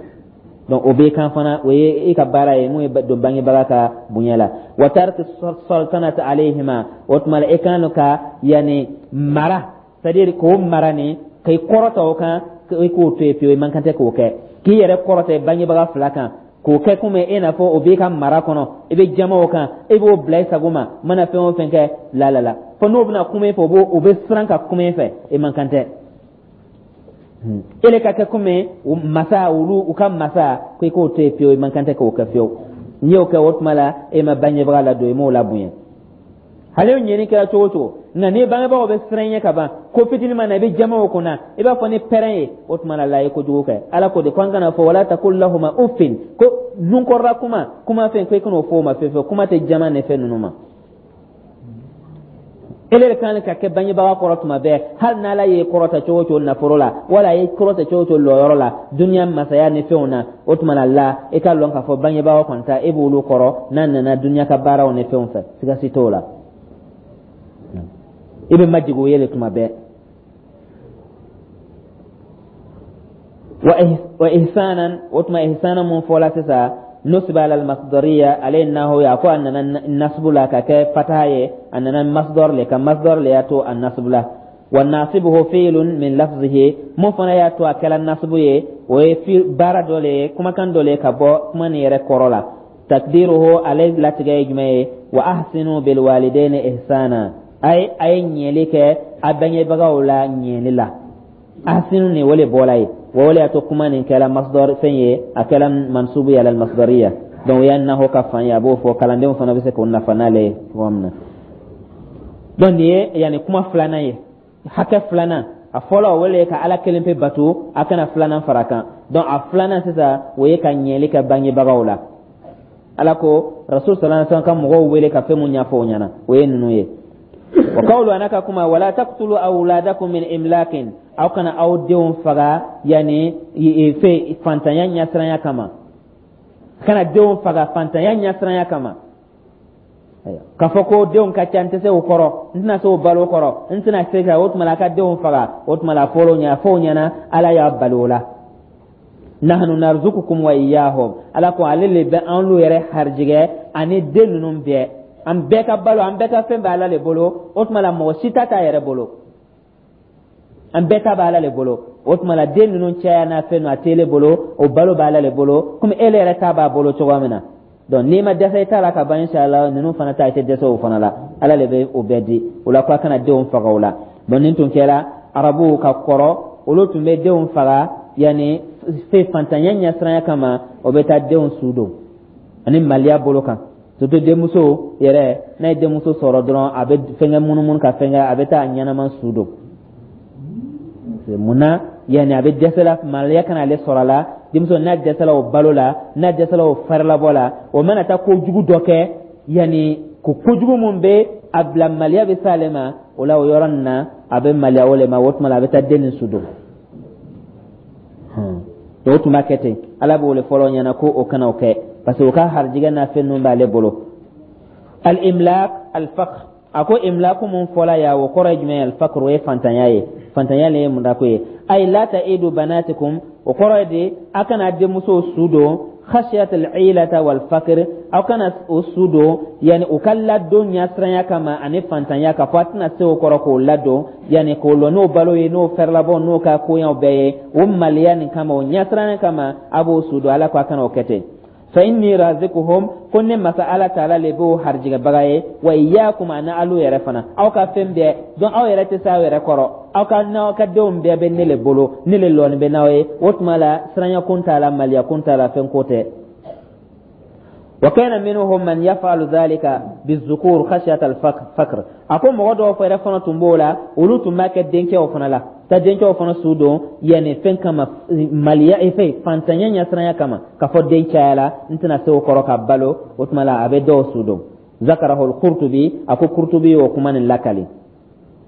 Donc o b'i kan fana, o ye i ka baara ye mun ye don bangebaga ka bonya la. Wa tarki sultanati alayhima, o tuma la e kan ka yanni mara, c'est à dire k'o mara nin k'i kɔrɔta o kan, i k'o to yen pewu, i man kan tɛ k'o kɛ, k'i yɛrɛ kɔrɔta bangebaga fila kan, k'o kɛ komi e n'a fɔ o b'i ka mara kɔnɔ, i bɛ jama o kan, e b'o bila i sago ma, mana fɛn o fɛn kɛ la la la, fo n'o bɛna kuma e fɛ, o bɛ siran ka kuma e fɛ, e man kan tɛ. E le ka kɛ komi masa, olu u ka masa, ko i k'o to yen pewu, i man kan tɛ k'o kɛ fiyewu. N'i y'o kɛ, o tuma la e ma bangebaga ladon, i m'o labonya. Hali o ɲɛni kɛra cogo o cogo, nka ni bangebagaw bɛ siran ɲɛ ka ban, ko fitinin ma na, i bɛ jama o kunna, i b'a fɔ ni pɛrɛn ye, o tuma la la ye kojugu kɛ. Ala ko de ko an kana fɔ wala taqul lahuma uffin, ko nunkɔrɔla kuma, kuma fɛn, ko i kan'o fɔ o ma fewu fewu. Kuma tɛ jama ni fɛn ninnu ma. E de kan ka kɛ bangebaga kɔrɔ tuma bɛɛ, hali n'Ala ye kɔrɔta cogo o cogo nafolo la, wala a ye kɔrɔta cogo o cogo lɔyɔrɔ la duniya masaya ni fɛnw na, o tuma na la e ka lɔn k'a fɔ bangebaga kɔni ta, e b'olu kɔrɔ n'a nana duniya ka baaraw ni fɛnw fɛ, siga si t'o la, i bɛ majigin o ye le tuma bɛɛ. Wa ihsanan, o tuma ihsanan mun fɔla sisan, nusiba ala almasdariya, ale ye naho ye. A ko a nana nasbu la ka kɛ fataha ye, a nana masdar le ka masdar le y'a to a nasbu la. Wa nasibuhu fi'lun min lafzihi, mun fana y'a to a kɛla nasibu ye, o ye baara dɔ le ye, kumakan dɔ le ye ka bɔ kuma nin yɛrɛ kɔrɔ la. Takdiruhu, ale latigɛ ye jumɛn ye? Wa ahsinu bil walidaini ihsana, ay a ye ɲɛli kɛ a bangebagaw la ɲɛli la. Ahsinu nin, o le bɔla ye wa o le y'a to kuma nin kɛla masdar fɛn ye, a kɛla mansubu ye alal masdariya. Donc o y'a naho ka fan ye, a b'o fɔ kalandenw fana bɛ se k'o nafa n'ale ye cogo min na. Donc nin ye yanni kuma filanan ye, hakɛ filanan. A fɔlɔ, o le ye ka Ala kelen pe bato, a kana filanan fara kan. Donc a filanan sisan, o ye ka ɲɛli kɛ bangebagaw la. Ala ko Rasul sallallahu alaihi wasallam ka mɔgɔw wele ka fɛn mun ɲɛfɔ o ɲɛna, o ye ninnu ye. Wa qawlu, ana ka kuma, wala taqtulu awladakum min imlakin, aw kana aw denw faga yani fɛ fantanya ɲɛsiranya kama. Kana denw faga fantanya ɲɛsiranya kama, k'a fɔ ko denw ka ca, n tɛ se o kɔrɔ, n tɛna se o balo kɔrɔ, n tɛna se ka o tuma la a ka denw faga. O tuma la fɔlɔ ɲɛ fɔ o ɲɛna, Ala y'a bali o la. Nahnu narzukukum wa iyyahum, Ala ko ale le bɛ an lu yɛrɛ harijigɛ ani den ninnu bɛɛ. An bɛɛ ka balo, an bɛɛ ka fɛn bɛ Ala le bolo. O tuma la mɔgɔ si ta t'a yɛrɛ bolo, an bɛɛ ta bɛ Ala le bolo. O tuma la den ninnu caya n'a fɛn a t'ele bolo, o balo bɛ Ala le bolo, komi ele yɛrɛ ta b'a bolo cogoya min na. Donc n'i ma dɛsɛ i ta la ka ban, inshallah ninnu fana ta, i tɛ dɛsɛ o fana la. Ala le bɛ o bɛɛ di. O la ko a kana denw faga o la. Donc nin tun kɛra arabuw ka kɔrɔ, olu tun bɛ denw faga yanni fɛ fantanya ɲɛsiranya kama. O bɛ taa denw su don ani maliya bolo kan, surtout denmuso yɛrɛ. N'a ye denmuso sɔrɔ dɔrɔn, a bɛ fɛnkɛ munumunu ka fɛnkɛ, a bɛ taa a ɲɛnama su don. Munna? Yanni a bɛ dɛsɛla, maliya kana ale sɔrɔ a la. Denmuso n'a dɛsɛla o balo la, n'a dɛsɛla o farilabɔ la, o mana taa kojugu dɔ kɛ, yanni ko kojugu mun bɛ a bila maliya bɛ s'ale ma o la, o yɔrɔ nin na a bɛ maliya o le ma. O tuma la a bɛ taa den nin su don. O tun b'a kɛ ten. Ala b'o le fɔlɔ ɲɛna ko o kana o kɛ, parce que o ka harijigɛ n'a fɛn ninnu b'ale bolo. Al imlaq al faqr, a ko imlaku mun fɔla ya, o kɔrɔ ye jumɛn ye? Al faqr, o ye fantanya ye. Fantanya le ye mundako ye. Ay la ta'idu banatikum, o kɔrɔ ye de a kana denmuso su don. Khashiyat al-ilata wal faqr, aw kana o su don yani u ka ladon ɲɛsiranya kama ani fantanya, k'a fɔ a tɛna se o kɔrɔ k'o ladon, yani k'o lɔ n'o balo ye, n'o fɛrɛlabɔ, n'o ka koɲaw bɛɛ ye. O maliya nin kama, o ɲɛsiranya kama, a b'o su don. Ala ko a kana o kɛ ten. Fa inni razikuhum, ko ne masa Ala taala le b'o harijigɛbaga ye, wa iyyakum, ani alu yɛrɛ fana, aw ka fɛn bɛɛ. Donc aw yɛrɛ tɛ se aw yɛrɛ kɔrɔ, aw ka n'aw ka denw bɛɛ bɛ ne le bolo, ne le lɔni bɛ n'aw ye. O tuma la siranya kun t'a la, maliya kun t'a la, fɛn ko tɛ. Wa kana minhum man yaf'alu dhalika bizukur khashyata al-faqr, a ko mɔgɔ dɔw yɛrɛ fana tun b'o la, olu tun b'a kɛ denkɛw fana la, ta denkɛw fana su don yanni fɛn kama, maliya fɛn fantanya ɲɛsiranya kama, k'a fɔ den cayala, n tɛna se o kɔrɔ ka balo. O tuma la a bɛ dɔw su don. Zakarahu al-Qurtubi, a ko Qurtubi y'o kuma nin lakali.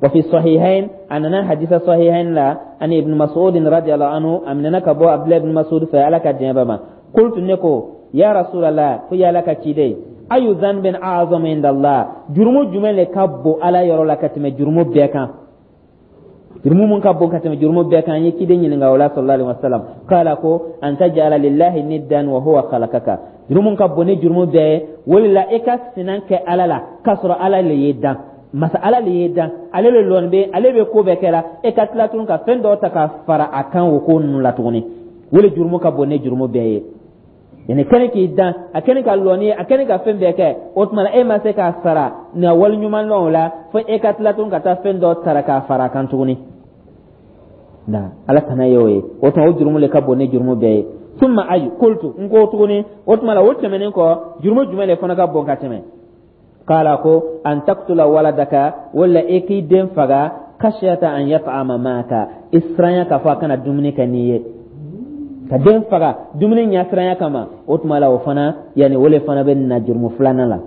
Wa fi sahihain, a nana hadisa sahihain la, ani Ibn Mas'ud radiyallahu anhu, a minɛna ka bɔ Abdullah ibn Mas'ud fɛ, Ala ka diɲɛ ba ma. Qultu, ne ko, ya Rasulallah, ko ya Ala ka ciden, ayu dhanbin a'zamu inda Allah, jurumu jumɛn le ka bon Ala yɔrɔ la ka tɛmɛ jurumu bɛɛ kan? Jurumu mun ka bon ka tɛmɛ jurumu bɛɛ kan? An ye ciden ɲininka o la, sallallahu alaihi wasallam. Kala ko an taj'ala lillahi niddan wa huwa khalaqaka, jurumu ka bon ni jurumu bɛɛ ye o de la, i ka sinan kɛ Ala la k'a sɔrɔ Ala le y'i dan. Masa Ala le y'i dan, ale le lɔni bɛ, ale bɛ ko bɛɛ kɛra, e ka tila tuguni ka fɛn dɔw ta ka fara a kan o ko ninnu la tuguni. O le jurumu ka bon ni jurumu bɛɛ ye. Yani kɛnɛ k'i dan, a kɛnɛ ka lɔni ye, a kɛnɛ ka fɛn bɛɛ kɛ, o tuma la e ma se k'a sara nka wali ɲuman lɔn o la, fo e ka tila tuguni ka taa fɛn dɔ tara k'a fara a kan tuguni. Na Ala tana ye o ye. O tuma o jurumu le ka bon ni jurumu bɛɛ ye. Summa ayu, qultu, n ko tuguni, o tuma la o tɛmɛnen kɔ, jurumu jumɛn de fana ka bon ka tɛmɛ? Kala ko an taqtula waladaka, wala e k'i den faga, khashyata an yat'ama maka, i siranya k'a fɔ a kana dumuni kɛ n'i ye. Ka den faga dumuni ɲɛsiranya kama, o tuma la o fana yanni o le fana bɛ na jurumu filanan la.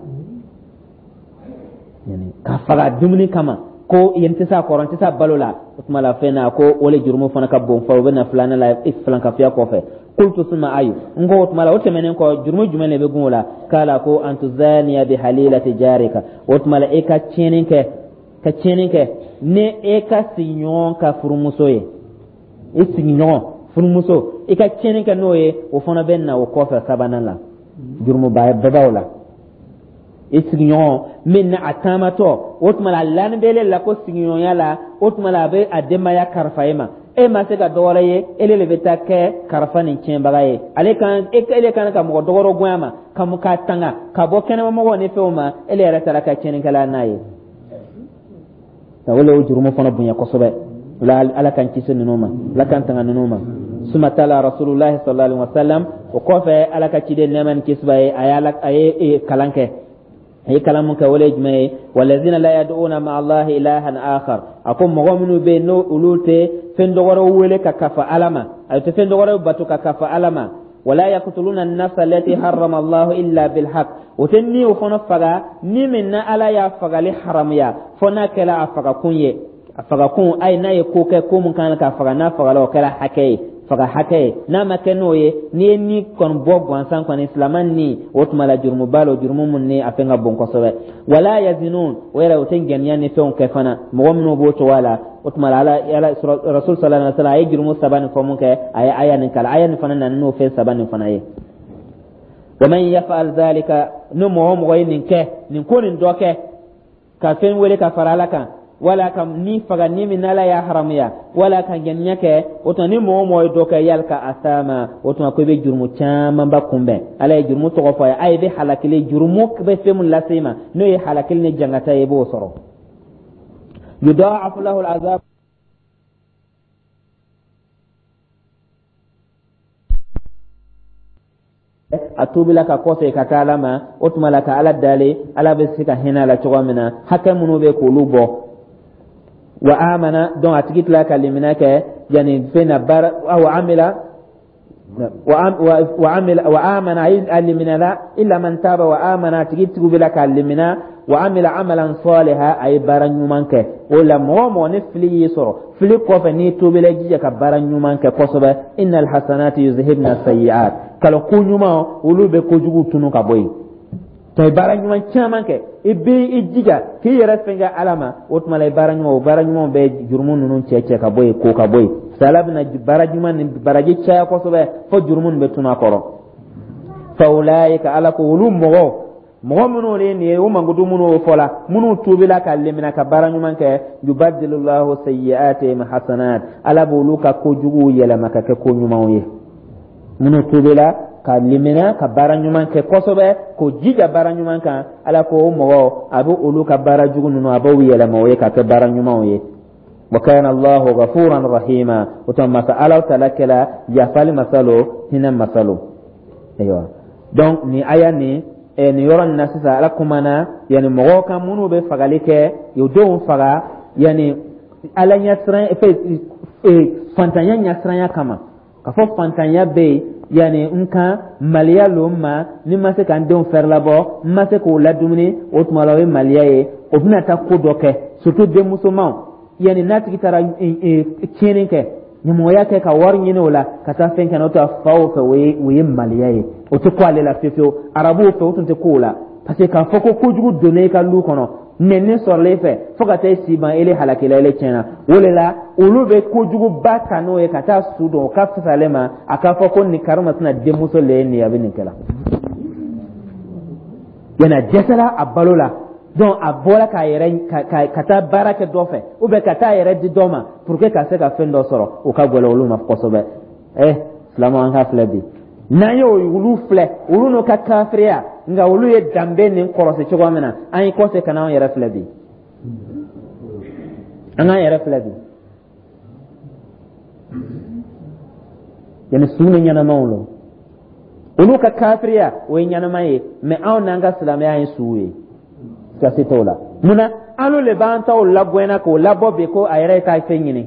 Yani ka faga dumuni kama, ko yen tɛ se a kɔrɔ, n tɛ se a balo la, o tuma la fɛn na ko o le jurumu fana ka bon fɔ, o bɛ na filanan la filankafoya kɔfɛ. Qultu summa ayu, n ko o tuma la o tɛmɛnen kɔ, jurumu jumɛn de bɛ gun o la? Kala ko an tuzaniya bi halilati jarika, o tuma la e ka tiɲɛni kɛ, ka tiɲɛni kɛ ni e ka sigiɲɔgɔn ka furumuso ye, i sigiɲɔgɔn furumuso, i ka tiɲɛni kɛ n'o ye, o fana bɛ na o kɔfɛ sabanan la, jurumuba babaw la. I sigiɲɔgɔn min na a taamatɔ, o tuma la a lani bɛ la ko sigiɲɔgɔnya la, o tuma la a bɛ a denbaya karifa e ma. E ma se ka dɔ wɛrɛ ye, ele de bɛ taa kɛ karifa nin tiɲɛbaga ye. Ale kan ele kan ka mɔgɔ dɔgɔrɔ gonya ma ka k'a tanga ka bɔ kɛnɛmamɔgɔw ni fɛnw ma, ele yɛrɛ taara ka tiɲɛnikɛla n'a ye. O le o jurumu fana bonya kosɛbɛ la. Ala k'an kisi ninnu ma, Ala k'an tanga ninnu ma. Suma tala Rasulullahi sallallahu alaihi wasallam, o kɔfɛ Ala ka ciden, nɛɛma ni kisi b'a ye, a ye kalan kɛ. A ye kalan mun kɛ, o le ye jumɛn ye? Walazina la yad'una ma Allahi ilahan akhar. A ko mɔgɔ minnu bɛ yen, n'o olu tɛ fɛn dɔgɔrɛw wele ka kafa Ala ma, a tɛ fɛn dɔgɔrɛw bato ka kafa Ala ma. Wala yaqtuluna an-nafsa allati harrama Allahu illa bil haqq. O tɛ ni o fana faga ni min na Ala y'a fagali haramuya, fo n'a kɛra a fagakun ye. A fagakun ayi, n'a ye ko kɛ, ko mun kan ka faga, n'a fagala, o kɛra hakɛ ye, faga hakɛ ye. N'a ma kɛ n'o ye, n'i ye ni kɔni bɔ gansan kɔni, silaman ni, o tuma la jurumuba lo, jurumu mun ni a fɛn ka bon kosɛbɛ. Wala yazinun, o yɛrɛ o tɛ ŋaniya ni fɛnw kɛ fana. Mɔgɔ minnu b'o cogoya la, o tuma la Ala Rasul sallallahu alaihi wasallam a ye jurumu saba nin fɔ mun kɛ, a ye aya nin kalan. Aya nin fana nana n'o fɛn saba nin fana ye. Wa man yaf'al dhalika, ni mɔgɔ o mɔgɔ ye nin kɛ, nin ko nin dɔ kɛ, ka fɛn wele ka fara Ala kan, wala ka ni faga ni min n'Ala y'a haramuya, wala ka ŋaniya kɛ, o tuma ni mɔgɔ o mɔgɔ ye dɔ kɛ, yalika asama, o tuma ko i bɛ jurumu camanba kunbɛn. Ala ye jurumu tɔgɔ fɔ a ye. A ye bɛ halakili, jurumu bɛ fɛn min lase i ma, n'o ye halakili ni jangata ye, i b'o sɔrɔ. Yudaafu lahu alazab. A tuubila ka kɔsegin ka taa Ala ma, o tuma la ka Ala dali, Ala bɛ se ka hinɛ a la cogo min na, hakɛ minnu bɛ k'olu bɔ. Wa amana, donc a tigi tila ka limina kɛ yanni fɛn na baara wa amila wa amila wa amana, a liminala illa man taba wa amana, a tigi tuubila ka limina, wa amila amalan saliha, a ye baara ɲuman kɛ. O la mɔgɔ o mɔgɔ ni fili y'i sɔrɔ, fili kɔfɛ n'i tuubila, jija ka baara ɲuman kɛ kosɛbɛ. Innal hasanati yuzhibna sayiat, kalo ko ɲuman olu bɛ kojugu tunu ka bɔ yen. To i baara ɲuman caman kɛ, i bɛ i jija k'i yɛrɛ fɛn kɛ Ala ma, o tuma la i baara ɲuman, o baara ɲuman bɛ jurumu ninnu cɛ cɛ ka bɔ yen, ko ka bɔ yen. Ala bɛna baara ɲuman ni baraji caya kosɛbɛ fo jurumu nin bɛ tunu a kɔrɔ. Fa ulaika, Ala ko olu mɔgɔ mɔgɔ minnu ye nin ye, o mankutu minnu fɔla, minnu tuubila ka limina ka baara ɲuman kɛ, yubadilullahu sayyi'atihim hasanat, Ala b'olu ka kojuguw yɛlɛma ka kɛ ko ɲumanw ye. Minnu tuubila ka limina ka baara ɲuman kɛ kosɛbɛ, k'o jija baara ɲuman kan, Ala ko o mɔgɔ a bɛ olu ka baara jugu ninnu, a b'o yɛlɛma o ye ka kɛ baara ɲumanw ye. Wa kana Allahu ghafuran rahima, o tuma masa Ala taala kɛla yafali masa lo, hinɛ masa lo. Ayiwa, donc nin aya nin nin yɔrɔ nin na sisan, Ala kumana yanni mɔgɔw kan minnu bɛ fagali kɛ, u denw faga yanni Ala ɲɛsiran fɛ, fantanya ɲɛsiranya kama, ka fɔ fantanya bɛ yen yanni n kan maliya lo n ma, ni n ma se ka n denw fɛrɛlabɔ, n ma se k'o ladumuni, o tuma la o ye maliya ye. O bɛna taa ko dɔ kɛ, surtout denmusomanw, yanni n'a tigi taara tiɲɛni kɛ, ɲamɔgɔya kɛ ka wari ɲini o la ka taa fɛn kɛ, n'o tɛ faw fɛ, o ye maliya ye, o tɛ ko ale la fiyewu fiyewu. Arabuw fɛ, o tun tɛ ko o la, parce que k'a fɔ ko kojugu donna i ka lu kɔnɔ, nɛni sɔrɔla i fɛ fo ka taa i si ban, ele halakila, ele tiɲɛna. O de la olu bɛ kojuguba ta n'o ye ka taa su dɔn, o ka fisa ale ma a k'a fɔ ko nin karimasina denmuso le ye nin ye, a bɛ nin kɛ la, yanni a dɛsɛra a balo la. Donc a bɔra k'a yɛrɛ ka taa baara kɛ dɔ fɛ ou bien ka taa yɛrɛ di dɔ ma pour que ka se ka fɛn dɔ sɔrɔ, o ka gɛlɛn olu ma kosɛbɛ. Silamɛw, an ka filɛ bi, n'an ye olu filɛ, olu n'u ka kafiriya, nka olu ye danbe nin kɔlɔsi cogo min na, an ye kɔse ka n'anw yɛrɛ filɛ bi, an k'an yɛrɛ filɛ bi, yanni su ni ɲɛnamaw lo. Olu ka kafiriya, o ye ɲɛnama ye, mais anw n'an ka silamɛya ye suw ye, kasi t'o la. Mun na an le b'an taw lagɛnna k'o labɔ bi ko a yɛrɛ ye taa fɛn ɲini?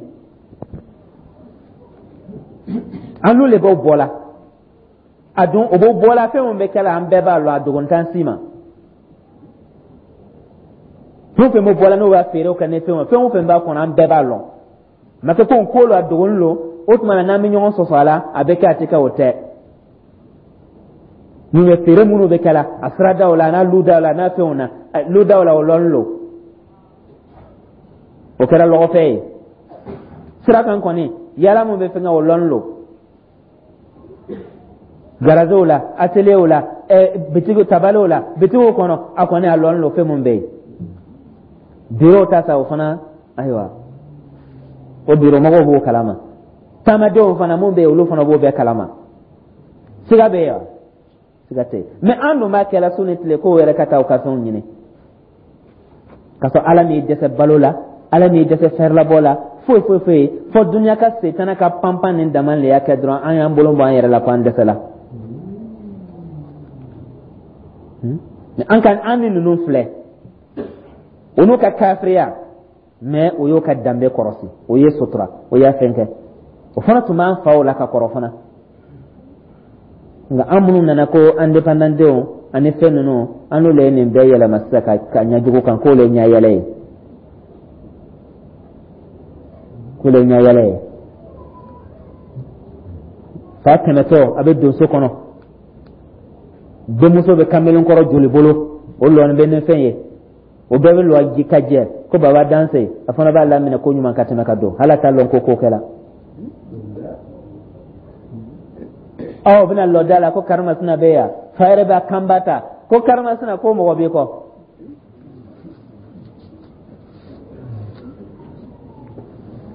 An le b'o bɔ la, a dun o b'o bɔ la, fɛn min bɛ kɛ la, an bɛɛ b'a lɔn, a dogon t'an si ma. Fɛn o fɛn bɛ bɔ la, n'o b'a feere kɛ ni fɛn o fɛn o fɛn b'a kɔnɔ, an bɛɛ b'a lɔn. Ma kɛ ko ko lo a dogonin lo, o tuma na n'an bɛ ɲɔgɔn sɔsɔ a la, a bɛ kɛ, a tɛ kɛ, o tɛ. Mun bɛ feere minnu bɛ kɛ la a siradaw la, n'a ludaw la, n'a fɛnw na, ludaw la, o lɔnni lo, o kɛra lɔgɔfɛ ye. Sira kan kɔni, yala mun bɛ fɛn kɛ, o lɔnni lo. Garazew la, atelierw la, bitigi tabaliw la, bitigiw kɔnɔ, a kɔni a lɔnnen don fɛn mun bɛ yen. Biro ta sa, o fana, ayiwa, o biro mɔgɔw b'o kalama. Taamadenw fana mun bɛ yen, olu fana b'o bɛɛ kalama. Siga bɛ yen wa? Siga tɛ yen. Mais an dun b'a kɛla su ni tile k'o yɛrɛ ka taa u ka fɛnw ɲini, k'a sɔrɔ Ala m'i dɛsɛ balo la, Ala m'i dɛsɛ fɛrɛlabɔ la, foyi foyi foyi. Fɔ dunuya ka setana ka panpan nin dama le y'a kɛ dɔrɔn an y'an bolo bɔ an yɛrɛ la ko an dɛsɛla. An ka an ni ninnu filɛ, o n'u ka kafiriya, mais o y'o ka danbe kɔrɔsi, o ye sutura, o y'a fɛn kɛ. O fana tun b'an faw la ka kɔrɔ fana. Nka an minnu nana ko indépendantdenw ani fɛn ninnu, an n'olu ye nin bɛɛ yɛlɛma sisan ka ɲɛ jugu kan, k'o le ɲɛ yɛlɛ ye, k'o le ɲɛ yɛlɛ ye. Fa tɛmɛtɔ, a bɛ don so kɔnɔ, denmuso bɛ kamalen kɔrɔ joli bolo, o lɔni bɛ ni fɛn ye, o bɛɛ bɛ lɔ ji ka jɛ ko baba danse. A fana b'a laminɛ ko ɲuman ka tɛmɛ ka don, hali a t'a lɔn ko ko kɛla. Aw bɛna lɔ da la ko karimasina bɛ yan. Fa yɛrɛ b'a kanba ta ko karimasina, ko mɔgɔ b'i kɔ.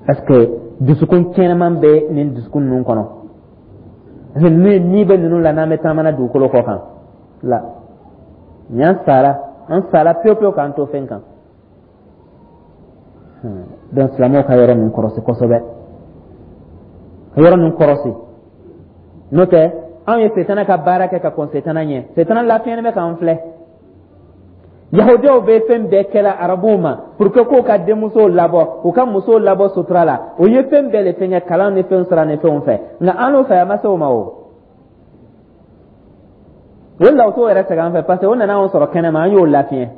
Est ce que dusukun kɛnɛman bɛ nin dusukun ninnu kɔnɔ? Parce que ni bɛ ninnu la n'an bɛ taamana dugukolo kɔ kan la, nin an sara, an sara pewu pewu k'an to fɛn kan. Donc silamɛw ka yɔrɔ ninnu kɔrɔsi kosɛbɛ, ka yɔrɔ ninnu kɔrɔsi. N'o tɛ, anw ye setana ka baara kɛ ka kɔn setana ɲɛ. Setana lafiyɛni bɛ k'an filɛ. Yahudiyaw bɛ fɛn bɛɛ kɛla arabuw ma pour que k'u ka denmusow labɔ, u ka musow labɔ sutura la. O ye fɛn bɛɛ le fɛn kɛ, kalan ni fɛn sira ni fɛnw fɛ. Nka an n'o fɛ, a ma se o ma. O o la, o t'o yɛrɛ sɛgɛn an fɛ, parce que o nana anw sɔrɔ kɛnɛma, an y'o lafiɲɛ.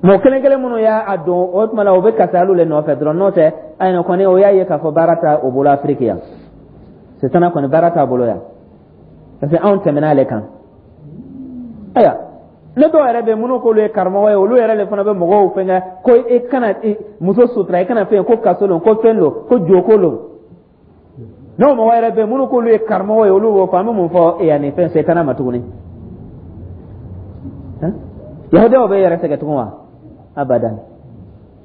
Mɔgɔ kelen kelen minnu y'a don o tuma la, o bɛ kasi alu le nɔfɛ dɔrɔn. N'o tɛ, ayiwa kɔni, o y'a ye k'a fɔ baara t'a o bolo Afiriki yan. Setana kɔni, baara t'a bolo yan, parce que anw tɛmɛna ale kan. Ayiwa, ne dɔw yɛrɛ bɛ minnu k'olu ye karamɔgɔ ye, olu yɛrɛ de fana bɛ mɔgɔw fɛnkɛ ko i kana muso sutura, i kana fɛn, ko kaso don, ko fɛn don, ko joko don. N'o mɔgɔ yɛrɛ bɛ minnu k'olu ye karamɔgɔ ye, olu b'o fɔ. An bɛ mun fɔ yanni fɛn setana ma tuguni? Yahudiyaw bɛ yɛrɛ sɛgɛn tugun wa? Abadan,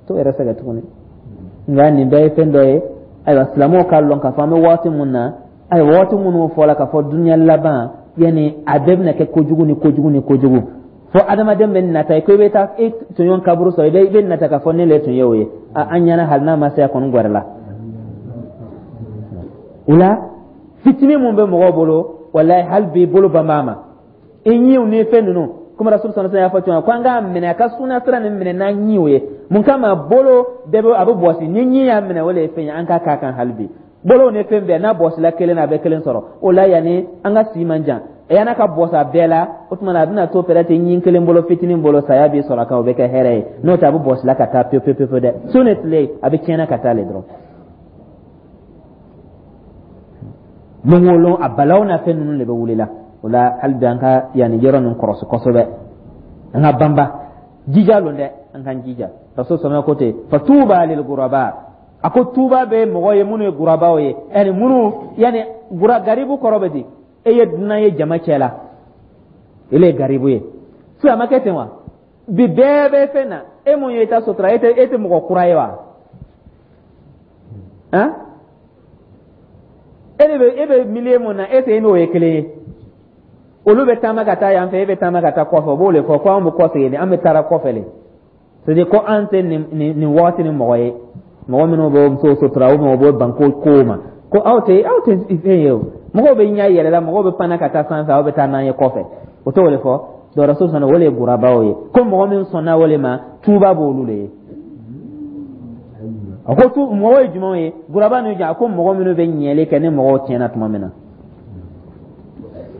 t'o yɛrɛ sɛgɛn tuguni. Nka nin bɛɛ ye fɛn dɔ ye. Ayiwa, silamɛw k'a lɔn k'a fɔ an bɛ waati mun na, ayiwa, waati minnu fɔla k'a fɔ dunuya laban, yanni a bɛɛ bɛna kɛ kojugu ni kojugu ni kojugu, fo adamaden bɛ nata ko i bɛ taa e tɔɲɔgɔn kaburu sɔrɔ, i bɛ nata k'a fɔ ne le tun ye o ye. An ɲɛna, hali n'a ma se, a kɔni gɛrɛla o la. Fitinin mun bɛ mɔgɔw bolo, walayi, hali bi bolo ban b'a ma. I ɲiw ni fɛn ninnu, komi Rasul sallallahu alaihi wasallam y'a fɔ cogo min ko an k'a minɛ, a ka suna sira nin minɛ n'an ɲiw ye. Mun kama? Bolo bɛɛ bɛ a bɛ bɔsi ni ɲi y'a minɛ, o le ye fɛn ye. An k'a k'a kan hali bi, bolo ni fɛn bɛɛ n'a bɔsila kelen na, a bɛ kelen sɔrɔ o la. Yanni an ka si man jan, yan'a ka bɔsi a bɛɛ la, o tuma na a bɛna to peut-être ɲin kelen bolo, fitinin bolo, saya b'i sɔrɔ a kan, o bɛ kɛ hɛrɛ ye. N'o tɛ, a bɛ bɔsila ka taa pewu pewu pewu dɛ. Su ni tile, a bɛ tiɲɛna ka taa le dɔrɔn. Lon o lon, a balaw n'a fɛn ninnu de bɛ wuli la. O la, hali bi an ka yanni yɔrɔ ninnu kɔrɔsi kosɛbɛ, an ka banba jija lon dɛ, an k'an jija. Rasul sɔnna ko ten, fatuba lil guraba. A ko tuba bɛ mɔgɔ ye minnu ye gurabaw ye, yani minnu, yani gura garibu kɔrɔ bɛ di? E ye dunan ye jama cɛ la, e le ye garibu ye. Sisan a ma kɛ ten wa? Bi bɛɛ bɛ fɛn na, e mun ye i ta sutura, e tɛ mɔgɔ kura ye wa? Han, e de bɛ, e bɛ milieu mun na, e tɛ e n'o ye kelen ye. Olu bɛ taama ka taa yan fɛ, e bɛ taama ka taa kɔfɛ. O b'o de fɔ ko anw bɛ kɔsegin de, an bɛ taara kɔfɛ de. C'est à dire ko an tɛ nin waati ni mɔgɔ ye, mɔgɔ minnu bɛ musow sutura, o mɔgɔ bɛ ban ko kow ma, ko aw tɛ fɛn ye. O mɔgɔw bɛ ɲɛ yɛlɛ la, mɔgɔw bɛ panna ka taa sanfɛ, aw bɛ taa n'an ye kɔfɛ. O t'o de fɔ. Donc Rasul sɔnna, o de ye gurabaw ye, ko mɔgɔ min sɔnna o de ma, tuuba b'olu de ye. A ko tu mɔgɔ ye jumɛnw ye, guraba ninnu? A ko mɔgɔ minnu bɛ ɲɛli kɛ ni mɔgɔw tiɲɛna tuma min na,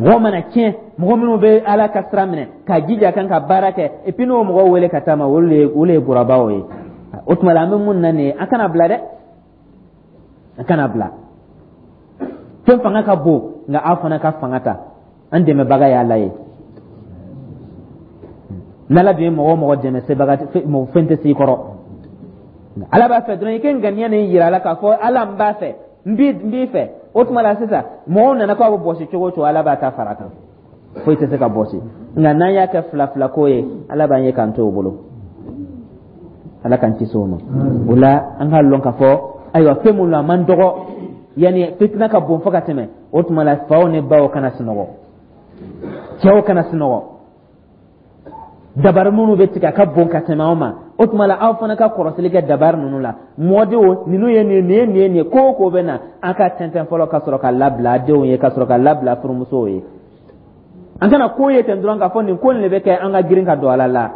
mɔgɔ mana tiɲɛ, mɔgɔ minnu bɛ Ala ka sira minɛ ka jija kan ka baara kɛ, et puis n'o mɔgɔw wele ka taa ma, olu ye gurabaw ye. O tuma la, an bɛ mun na nin ye? An kana bila dɛ, an kana bila. Fɛn fanga ka bon, nka aw fana ka fanga ta. An dɛmɛbaga ye Ala ye. N'Ala dun ye mɔgɔ o mɔgɔ dɛmɛ, sebaga fɛn tɛ s'i kɔrɔ. Ala b'a fɛ dɔrɔn i ka ŋaniya nin yira a la k'a fɔ Ala, n b'a fɛ. N b'i fɛ. O tuma la sisan, mɔgɔw nana k'a bɛ bɔsi cogo o cogo, Ala b'a ta fara kan, foyi tɛ se ka bɔsi. Nka n'an y'a kɛ fila fila ko ye, Ala b'an ye k'an to o bolo. Ala k'an kisi o ma. O la, an k'a lɔn k'a fɔ, ayiwa, fɛn mun lo, a man dɔgɔ, yanni fitina ka bon fo ka tɛmɛ. O tuma la, faw ni baw kana sunɔgɔ, cɛw kana sunɔgɔ. Dabari minnu bɛ tigɛ, a ka bon ka tɛmɛ aw ma. O tuma la, aw fana ka kɔrɔsili kɛ dabari ninnu la. Mɔdenw ninnu ye nin ye, nin ye nin ye, nin ye. Ko o ko bɛ na, an ka tɛntɛn fɔlɔ ka sɔrɔ ka labila denw ye, ka sɔrɔ ka labila furumusow ye. An kana ko ye ten dɔrɔn k'a fɔ nin ko nin de bɛ kɛ, an ka girin ka don a la. La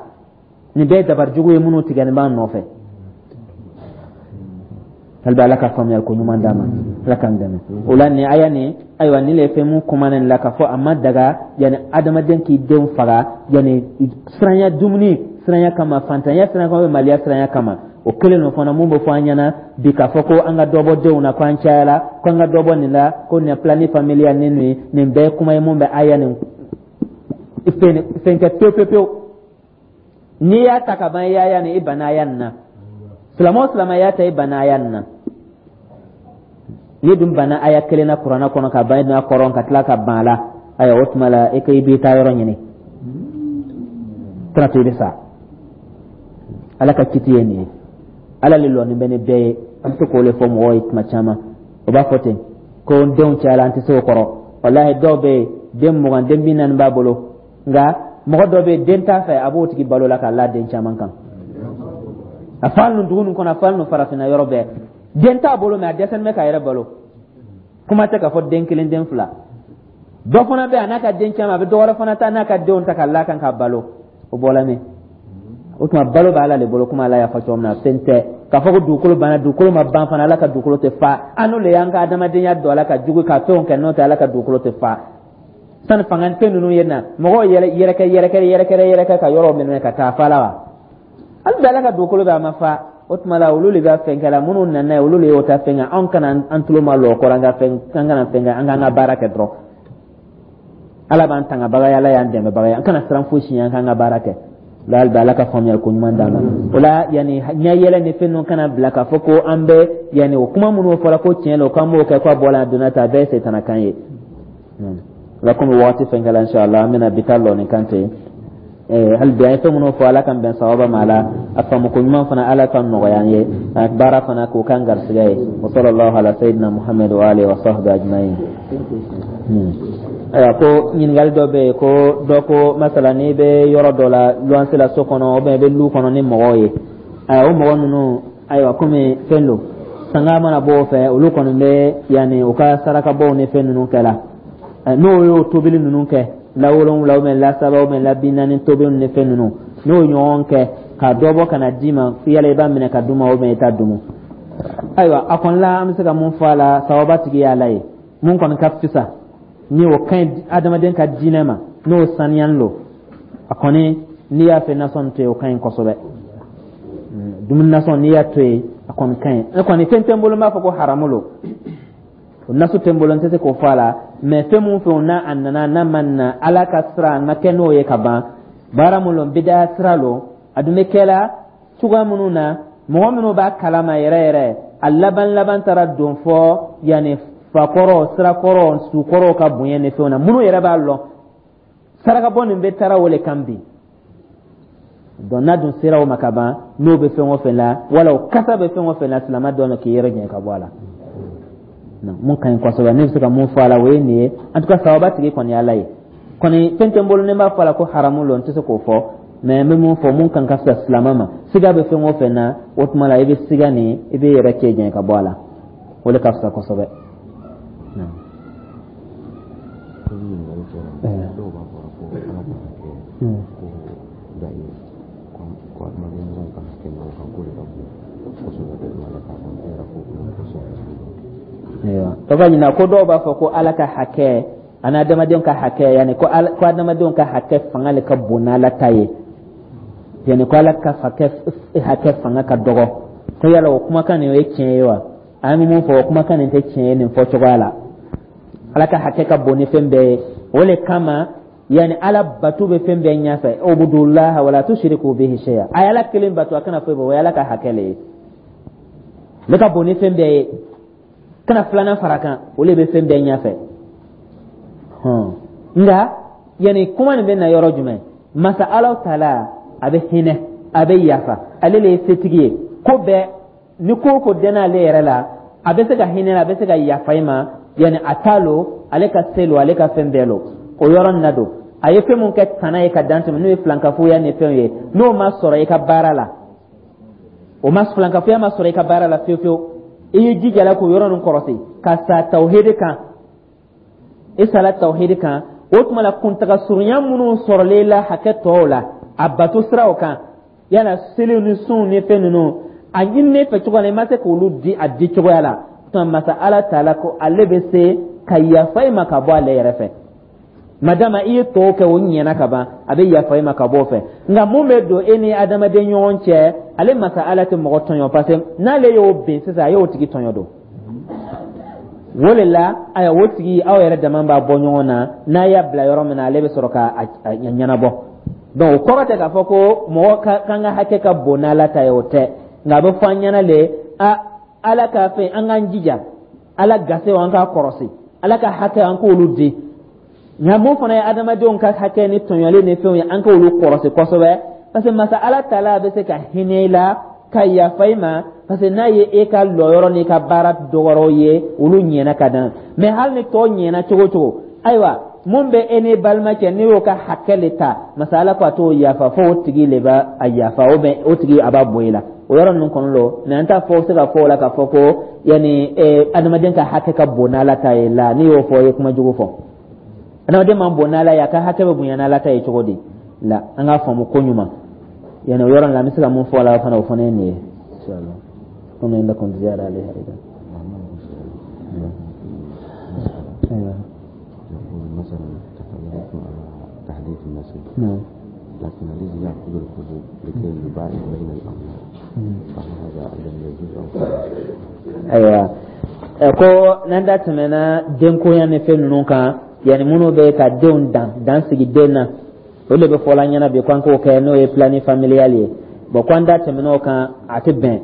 nin bɛɛ ye dabari jugu ye minnu tigɛlen b'an nɔfɛ. Hali Ala ka faamuyali ko ɲuman d'an ma, Ala k'an dɛmɛ o la. Nin aya nin, ayiwa, nin le ye fɛn mun kuma nin la k'a fɔ a ma daga, yanni adamaden k'i denw faga, yanni siranya, dumuni siranya kama, fantanya siranya kama, maliya siranya kama. O kelen lo fana mun bɛ fɔ an ɲɛna bi k'a fɔ ko an ka dɔ bɔ denw na, ko an cayala, ko an ka dɔ bɔ nin la, ko nin planning familial ni nin. Nin bɛɛ ye kuma ye mun bɛ aya nin fɛn kɛ pewu pewu pewu. N'i y'a ta ka ban, i y'a nin, i banna aya nin na. Silamɛ o silamɛ y'a ta, i banna aya nin na. N'i dun banna aya kelen na Kuranɛ kɔnɔ ka ban, i dun kɔrɔ ka tila ka ban a la, ayiwa, o tuma la, e ko i b'i ta yɔrɔ ɲini, tɛna to i bɛ sa. Ala ka kiti ye nin ye. Ala le lɔnni bɛ ni bɛɛ ye. An bɛ to k'o le fɔ mɔgɔw ye tuma caman. O b'a fɔ ten ko n denw cayala, an tɛ se o kɔrɔ. Walahi, dɔw bɛ yen, den 20, den 40 b'a bolo, nka mɔgɔ dɔ bɛ yen, den t'a fɛ, a b'o tigi balo la k'a la den caman kan. A fa ninnu dugu ninnu kɔnɔ, a fa ninnu farafinna yɔrɔ bɛɛ, den t'a bolo, mɛ a dɛsɛlen bɛ k'a yɛrɛ balo. Kuma tɛ k'a fɔ den kelen, den fila. Dɔ fana bɛ yen, a n'a ka den caman, a bɛ dɔ wɛrɛ fana ta n'a ka denw ta ka la kan ka balo. O bɔla min? O tuma, balo bɛ Ala de bolo, komi Ala y'a fɔ cogo min na. Fɛn tɛ k'a fɔ ko dugukolo banna. Dugukolo ma ban fana. Ala ka dugukolo tɛ fa. An n'o le y'an ka adamadenya don a la ka jugu ka fɛnw kɛ. N'o tɛ, Ala ka dugukolo tɛ fa. Sani fanga fɛn ninnu ye na, mɔgɔw yɛrɛ yɛrɛkɛ yɛrɛkɛ yɛrɛkɛ yɛrɛkɛ ka yɔrɔ minɛ ka taa fa la wa. Hali bi Ala ka dugukolo bɛ, a ma fa. O tuma la, olu de bɛ fɛn kɛ la. Minnu nana ye, olu de y'o ta fɛn kɛ. Anw kana an tulo ma lɔ kɔrɔ, an ka fɛn, an kana fɛn kɛ, an k'an ka baara kɛ dɔrɔn. Ala b'an tangabaga ye, Ala y'an dɛmɛbaga ye. An kana siran fosi ɲɛ, an k'an ka baara kɛ. La hali bi Ala ka faamuyali ko ɲuman d'an ma. O la, yanni ɲɛ yɛlɛ ni fɛn ninnu kana bila k'a fɔ ko an bɛ yanni o kuma minnu fɔra ko tiɲɛ don, k'an b'o kɛ, k'a bɔra a donna ta, a bɛɛ ye setanakan ye. La komi waati fɛn kɛla, inshallah, an bɛna bi ta lɔ nin kan ten. Hali bi an ye fɛn minnu fɔ, Ala k'an bɛn sawaba ma. Ala a faamu ko ɲuman fana, Ala ka nɔgɔya an ye. A baara fana k'o k'an garisɛgɛ ye. Wa sallallahu ala sayyidina Muhammad wa alihi wa sahbihi ajma'in. Ayiwa, ko ɲininkali dɔ bɛ yen ko dɔ ko masala, n'i bɛ yɔrɔ dɔ la luwanse la, so kɔnɔ ou bien i bɛ lu kɔnɔ ni mɔgɔw ye, ayiwa, o mɔgɔ ninnu, ayiwa, komi fɛn don, sanga mana bɔ o fɛ, olu kɔni bɛ yanni u ka sarakabɔw ni fɛn ninnu kɛ la, n'o y'o tobili ninnu kɛ la 7 ou bien la 3 ou bien la 40 tobili ni fɛn ninnu, n'o ɲɔgɔn kɛ ka dɔ bɔ ka na d'i ma, yala i b'a minɛ ka d'u ma ou bien i t'a dumu? Ayiwa, a kɔni la, an bɛ se ka mun fɔ a la? Sawaba tigi y'Ala ye. Mun kɔni ka fisa ni o ka ɲi adamaden ka diinɛ ma, n'o saniyani lo, a kɔni n'i y'a fɛ nasɔn to yen, o ka ɲi kosɛbɛ. Dumuni nasɔn, n'i y'a to yen, a kɔni ka ɲi. Ne kɔni, fɛn tɛ n bolo n b'a fɔ ko haramu lo. O nasu tɛ n bolo, n tɛ se k'o fɔ a la. Mɛ fɛn mun fɛ, n'a a nana, n'a ma na Ala ka sira, a ma kɛ n'o ye ka ban, baara mun lo, bidaya sira lo. A dun bɛ kɛla cogoya minnu na, mɔgɔ minnu b'a kalama yɛrɛ yɛrɛ, a laban laban taara don fɔ yanni fakɔrɔ, sirakɔrɔ, sukɔrɔw ka bonya ni fɛnw na. Minnu yɛrɛ b'a lɔn, sarakabɔ nin bɛ taara o le kan bi. Donc n'a dun sera o ma ka ban, n'o bɛ fɛn o fɛn la, wala o kasa bɛ fɛn o fɛn la, silamɛ dɔn k'i yɛrɛ jɛn ka bɔ a la. Mun ka ɲi kosɛbɛ, ne bɛ se ka mun fɔ a la, o ye nin ye. En tout cas, sawaba tigi kɔni ye Ala ye. Kɔni fɛn tɛ n bolo ne b'a fɔ a la ko haramu lo, n tɛ se k'o fɔ. Mɛ n bɛ mun fɔ, mun kan ka fisa silamɛ ma, siga bɛ fɛn o fɛn na, o tuma la, i bɛ siga nin, i bɛ yɛrɛ cɛ jɛn ka bɔ a la, o de ka fisa kosɛbɛ.
Dɔw b'a fɔ ko Ala ka hakɛ ko da ye ko adamaden ɲɔgɔn ka hakɛ ɲɔgɔn kan, k'o de ka bon kosɛbɛ ka tɛmɛ Ala ta kan. E yɛrɛ ko ko sɔrɔ.
Ayiwa, tɔgɔ ɲina ko dɔw b'a fɔ ko Ala ka hakɛ ani adamadenw ka hakɛ, yanni ko ala, ko adamadenw ka hakɛ fanga le ka bon n'Ala ta ye, yanni ko Ala ka hakɛ fanga ka dɔgɔ, ko yala o kumakan nin, o ye tiɲɛ ye wa? An bɛ mun fɔ? O kumakan nin tɛ tiɲɛ ye nin fɔ cogoya la. Ala ka hakɛ ka bon ni fɛn bɛɛ ye. O le kama, yanni Ala bato bɛ fɛn bɛɛ ɲɛfɛ. Ubudullaha wala tushriku bihi shay'a. A ye Ala kelen bato, a kana foyi bɔ. O ye Ala ka hakɛ le ye, ne ka bon ni fɛn bɛɛ ye. Kana filanan fara kan, o le bɛ fɛn bɛɛ ɲɛfɛ. Nka yanni kuma nin bɛ na yɔrɔ jumɛn? Masa Ala taala, a bɛ hinɛ, a bɛ yafa, ale le ye setigi ye ko bɛɛ. Ni ko o ko dɛnna ale yɛrɛ la, a bɛ se ka hinɛ, a bɛ se ka yafa i ma. Yanni a t'a lo, ale ka se lo, ale ka fɛn bɛɛ lo. O yɔrɔ nin na don, a ye fɛn mun kɛ tana ye ka dan tɛmɛ, n'o ye filankafoya ni fɛnw ye, n'o ma sɔrɔ i ka baara la, o ma filankafoya ma sɔrɔ i ka baara la fiyewu fiyewu, i y'i jija la k'o yɔrɔ nin kɔrɔsi ka sa tawhidi kan, i sala tawhidi kan, o tuma la kuntaga surunya minnu sɔrɔlen la hakɛ tɔw la, a bato siraw kan, yala seliw ni sunw ni fɛn ninnu, a ɲininen fɛ cogo la, i ma se k'olu di a di cogoya la, o tuma masa Ala taala ko ale bɛ se ka yafa i ma ka bɔ ale yɛrɛ fɛ. Madama i ye tɔw kɛ, o ɲɛna ka ban, a bɛ yafa i ma ka bɔ o fɛ. Nka mun bɛ don e ni adamaden ɲɔgɔn cɛ, ale masa Ala tɛ mɔgɔ tɔɲɔ, parce que n'ale y'o bin sisan, a y'o tigi tɔɲɔ don. O de la, ayiwa, o tigi, aw yɛrɛ dama b'a bɔ ɲɔgɔn na, n'a y'a bila yɔrɔ min na, ale bɛ sɔrɔ ka a ɲɛnabɔ. Donc o kɔrɔ tɛ k'a fɔ ko mɔgɔ ka kan ka hakɛ ka bon n'Ala ta ye, o tɛ. Nka a bɛ fɔ an ɲɛna le, a Ala k'a fɛ an k'an jija Ala gasew, an k'a kɔrɔsi, Ala ka hakɛ, an k'olu di. Nka mun fana ye adamadenw ka hakɛ ni tɔɲɔli ni fɛnw ye, an k'olu kɔrɔsi kosɛbɛ, parce que masa Ala taala bɛ se ka hinɛ i la ka yafa i ma, parce que n'a ye e ka lɔyɔrɔ n'i ka baara dɔgɔrɔw ye, olu ɲɛna ka dan. Mais hali ni tɔ ɲɛna cogo o cogo, ayiwa, mun bɛ e ni balima cɛ, n'i y'o ka hakɛ le ta, masa Ala ko a t'o yafa fo o tigi le b'a a yafa, o bɛ o tigi a b'a bɔ i la. O yɔrɔ ninnu kɔnɔ lo. Mais an t'a fɔ se ka fɔ o la k'a fɔ ko yanni adamaden ka hakɛ ka bon n'Ala ta ye la. N'i y'o fɔ, i ye kuma jugu fɔ. Adamaden man bon n'Ala ye, a ka hakɛ bɛ bonya n'Ala ta ye cogo di la? An k'a faamu ko ɲuman. Yani o yɔrɔ la, an bɛ se ka mun fɔ a la fana, o fana ye nin ye, inshallah. Komi lakum ziyada alayha idan. أيوة.
يقول مثلا تكلمتم على تحديد النسل.
نعم.
لكن الذي يأخذ الحبوب لكي يباعد بين الأولاد، فهل هذا أيضا يجوز أو
Ayiwa, ko n'an da tɛmɛna denkoya ni fɛn ninnu kan, yanni minnu bɛ ka denw dan dan sigi den na, o de bɛ fɔla ɲɛna bi ko an k'o kɛ, n'o ye planning familial ye. Bon, ko an da tɛmɛna o kan, a tɛ bɛn.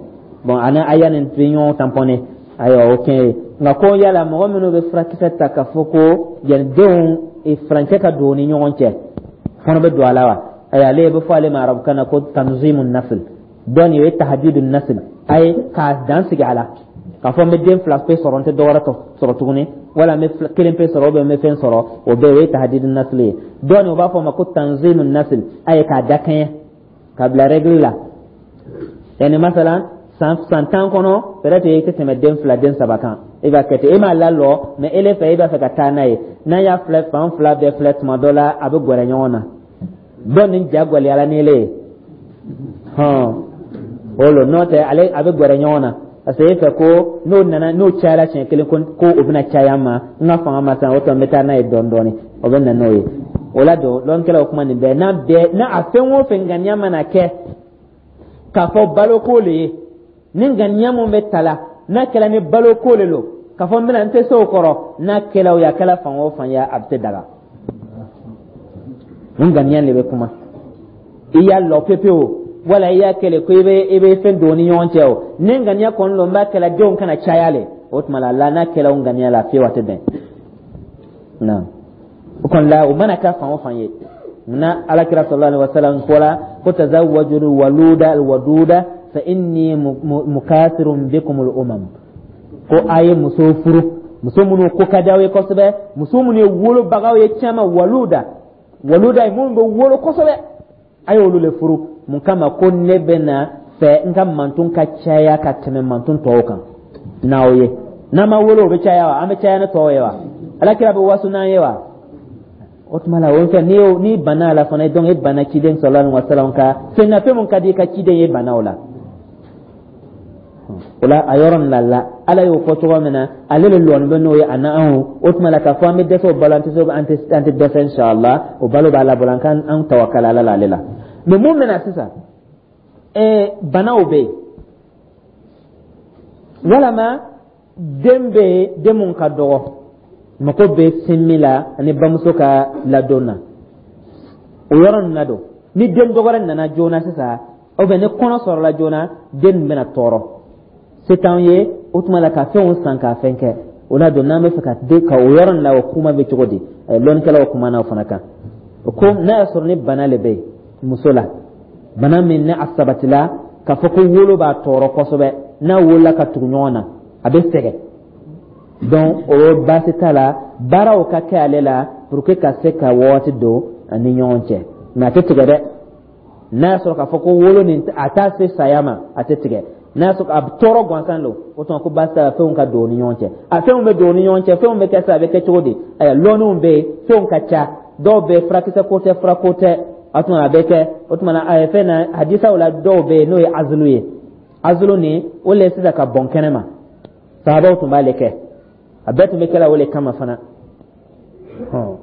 Bon, ani aya nin tɛ ɲɔgɔn tamponné. Ayiwa, o kɛ ye. Nka ko yala mɔgɔ minnu bɛ furakisɛ ta k'a fɔ ko yanni denw furancɛ ka don u ni ɲɔgɔn cɛ fana bɛ don a la wa? Ayiwa, ale bɛ fɔ ale ma arabukan na ko tanzimu nasl. Dɔn o ye tahdidu nasl, a ye k'a dan sigi a la k'a fɔ n bɛ den fila pe sɔrɔ, n tɛ dɔwɛrɛ sɔrɔ tuguni, wala n bɛ kelen pe sɔrɔ, n bɛ fɛn sɔrɔ, o bɛɛ o ye tahdidu nasl ye. Dɔɔni o b'a fɔ o ma ko tanzimu nasl, a ye k'a dakɛɲɛ k'a bila règle la. Yani masalan san 10 kɔnɔ, peut-être i tɛ tɛmɛ den fila, den saba kan, i b'a kɛ ten. E m'a lalɔ, mais ele fɛ, i b'a fɛ ka taa n'a ye. N'an y'a filɛ, fan fila bɛɛ filɛ, tuma dɔ la a bɛ gɛrɛ ɲɔgɔn na. Dɔ nin ja gwɛlɛyara ni ele ye hɔn, o lo n'o tɛ, ale a bɛ gɛrɛ ɲɔgɔn na, parce que e fɛ ko n'o nana, n'o cayara siɲɛ kelen, ko o bɛna caya n ma, n ka fanga ma san, o tɔ n bɛ taa n'a ye dɔɔni dɔɔni, o bɛ na n'o ye. O la don, lɔnnikɛlaw kuma nin bɛɛ n'a bɛɛ n'a a fɛn o fɛn ŋaniya mana kɛ k'a fɔ baloko le ye, ni ŋaniya mun bɛ ta la, n'a kɛra ni baloko le lo, k'a fɔ n bɛna n tɛ se o kɔrɔ, n'a kɛla o ye, a kɛla fan o fan ye, a bɛ se daga. Nin ŋaniya de bɛ kuma. I y'a lɔ pepewu, wala i y'a kɛlɛ ko i bɛ fɛn don ni ɲɔgɔn cɛ, o ni ŋaniya kɔni lo, n b'a kɛla denw kana caya le, o tuma la n'a kɛla o ŋaniya la fiyewu, a tɛ bɛn na. O kɔni la, o mana kɛ fan o fan ye, munna Alakira sallallahu alaihi wasallam fɔla ko tazawwaju waluda alwaduda fa inni mukathirun bikum al-umam, ko a ye muso furu, muso minnu ko ka di aw ye kosɛbɛ, muso minnu ye wolobagaw ye caman. Waluda, waluda ye minnu bɛ wolo kosɛbɛ, a ye olu le furu. Mun kama? Ko ne bɛ na fɛ n ka mantun ka caya ka tɛmɛ mantun tɔw kan n'aw ye. N'an ma wolo, o bɛ caya wa? An bɛ caya ni tɔw ye wa? Alakira bɛ waso n'an ye wa? O tuma la, o fɛn n'i banna a la fana, donc e banna ciden sallallahu alaihi wasallam ka fɛn na, fɛn mun ka di i ka ciden ye, banna o la. O la, a yɔrɔ nin la la, Ala y'o fɔ cogo min na, ale le lɔni bɛ n'o ye a na anw. O tuma la, k'a fɔ an bɛ dɛsɛ o balo, an tɛ se, an tɛ dɛsɛ, inshallah, o balo b'a la bolo, an k'an an tawakala Ala la, ale la. Mais mun bɛ na sisan? Banaw bɛ yen, walama den bɛ yen, den mun ka dɔgɔ, mako bɛ sin min la ani bamuso ka ladon na, o yɔrɔ ninnu na don. Ni den dɔgɔrɛ nana joona sisan, ou bien ni kɔnɔ sɔrɔla joona, den nin bɛna tɔɔrɔ, se t'anw ye. O tuma la ka fɛnw san ka fɛn kɛ o la don, n'an bɛ fɛ ka den ka o yɔrɔ nin la, o kuma bɛ cogo di? Lɔnnikɛlaw kumana o fana kan. O ko n'a y'a sɔrɔ ni bana le bɛ yen muso la, bana min ni a sabatila k'a fɔ ko wolo b'a tɔɔrɔ kosɛbɛ, n'a wolola ka tugu ɲɔgɔn na, a bɛ sɛgɛn, donc o baasi t'a la, baaraw ka kɛ ale la pour que ka se ka waati don a ni ɲɔgɔn cɛ. Mais a tɛ tigɛ dɛ. N'a y'a sɔrɔ k'a fɔ ko wolo nin a t'a se saya ma, a tɛ tigɛ. N'a y'a sɔrɔ a bɛ tɔɔrɔ gansan don, o tuma ko baasi t'a la, fɛnw ka don u ni ɲɔgɔn cɛ. A fɛnw bɛ don u ni ɲɔgɔn cɛ, fɛnw bɛ kɛ sa, a bɛ kɛ cogo di? Ayiwa, lɔnniw bɛ yen, fɛnw ka ca, dɔw bɛ furakisɛ ko tɛ, fura ko tɛ. A tuma a bɛ kɛ o tuma na, a ye fɛn na hadisaw la, dɔw bɛ yen n'o ye azulu ye. Azulu nin, o le sisan ka bɔn kɛnɛ ma, sahabaw tun b'ale kɛ, a bɛɛ tun bɛ kɛla o le kama fana.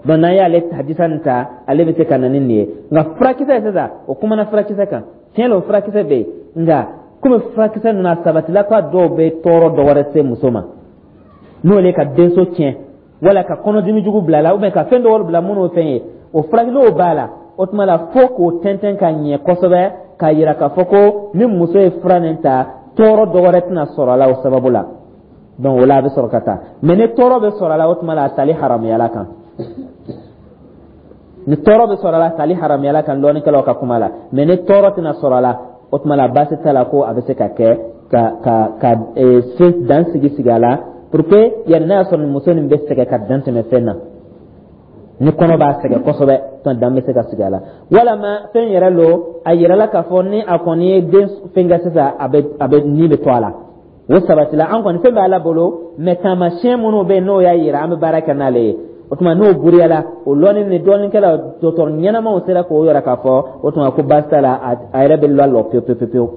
Donc n'an y'ale hadisa nin ta, ale bɛ se ka na ni nin ye. Nka furakisɛ sisan, o kumana furakisɛ kan. Tiɲɛ la, o furakisɛ bɛ yen, nka komi furakisɛ ninnu a sabatila ko a dɔw bɛ tɔɔrɔ dɔ wɛrɛ se muso ma, n'o le ka denso tiɲɛ wala ka kɔnɔdimi jugu bila a la, ou bien ka fɛn dɔ wɛrɛ bila minnu fɛn ye, o furakisɛ n'o b'a la, o tuma la fo k'o tɛntɛn ka ɲɛ kosɛbɛ k'a yira k'a fɔ ko ni muso ye fura nin ta, tɔɔrɔ dɔ wɛrɛ tɛna sɔrɔ a la o sababu la. Donc o la a bɛ sɔrɔ ka taa. Mais ni tɔɔrɔ bɛ sɔrɔ a la, o tuma la a tali haramuyala kan. Ni tɔɔrɔ bɛ sɔrɔ a la, a tali haramuyala kan lɔnnikɛlaw ka kuma la. Mais ni tɔɔrɔ tɛna sɔrɔ a la, o tuma la baasi t'a la ko a bɛ se ka kɛ ka se dan sigi sigi a la, pour que yanni n'a y'a sɔrɔ muso nin bɛ sɛgɛn ka dan tɛmɛ fɛn na, ni kɔnɔ b'a sɛgɛn kosɛbɛ, tɔn dan bɛ se ka sigi a la. Walama fɛn yɛrɛ lo, a yirala k'a fɔ ni a kɔni ye den fɛn kɛ sisan, a bɛ ni bɛ to a la, o sabatila. An kɔni fɛn bɛ Ala bolo, mais taamasiyɛn minnu bɛ yen n'o y'a yira, an bɛ baara kɛ n'ale ye. O tuma n'o buruyala, o lɔnni ni dɔɔninkɛla dɔgɔtɔrɔ ɲɛnamaw sera k'o yira k'a fɔ, o tuma ko baasi t'a la, a yɛrɛ bɛ lalɔ pewu pewu pewu,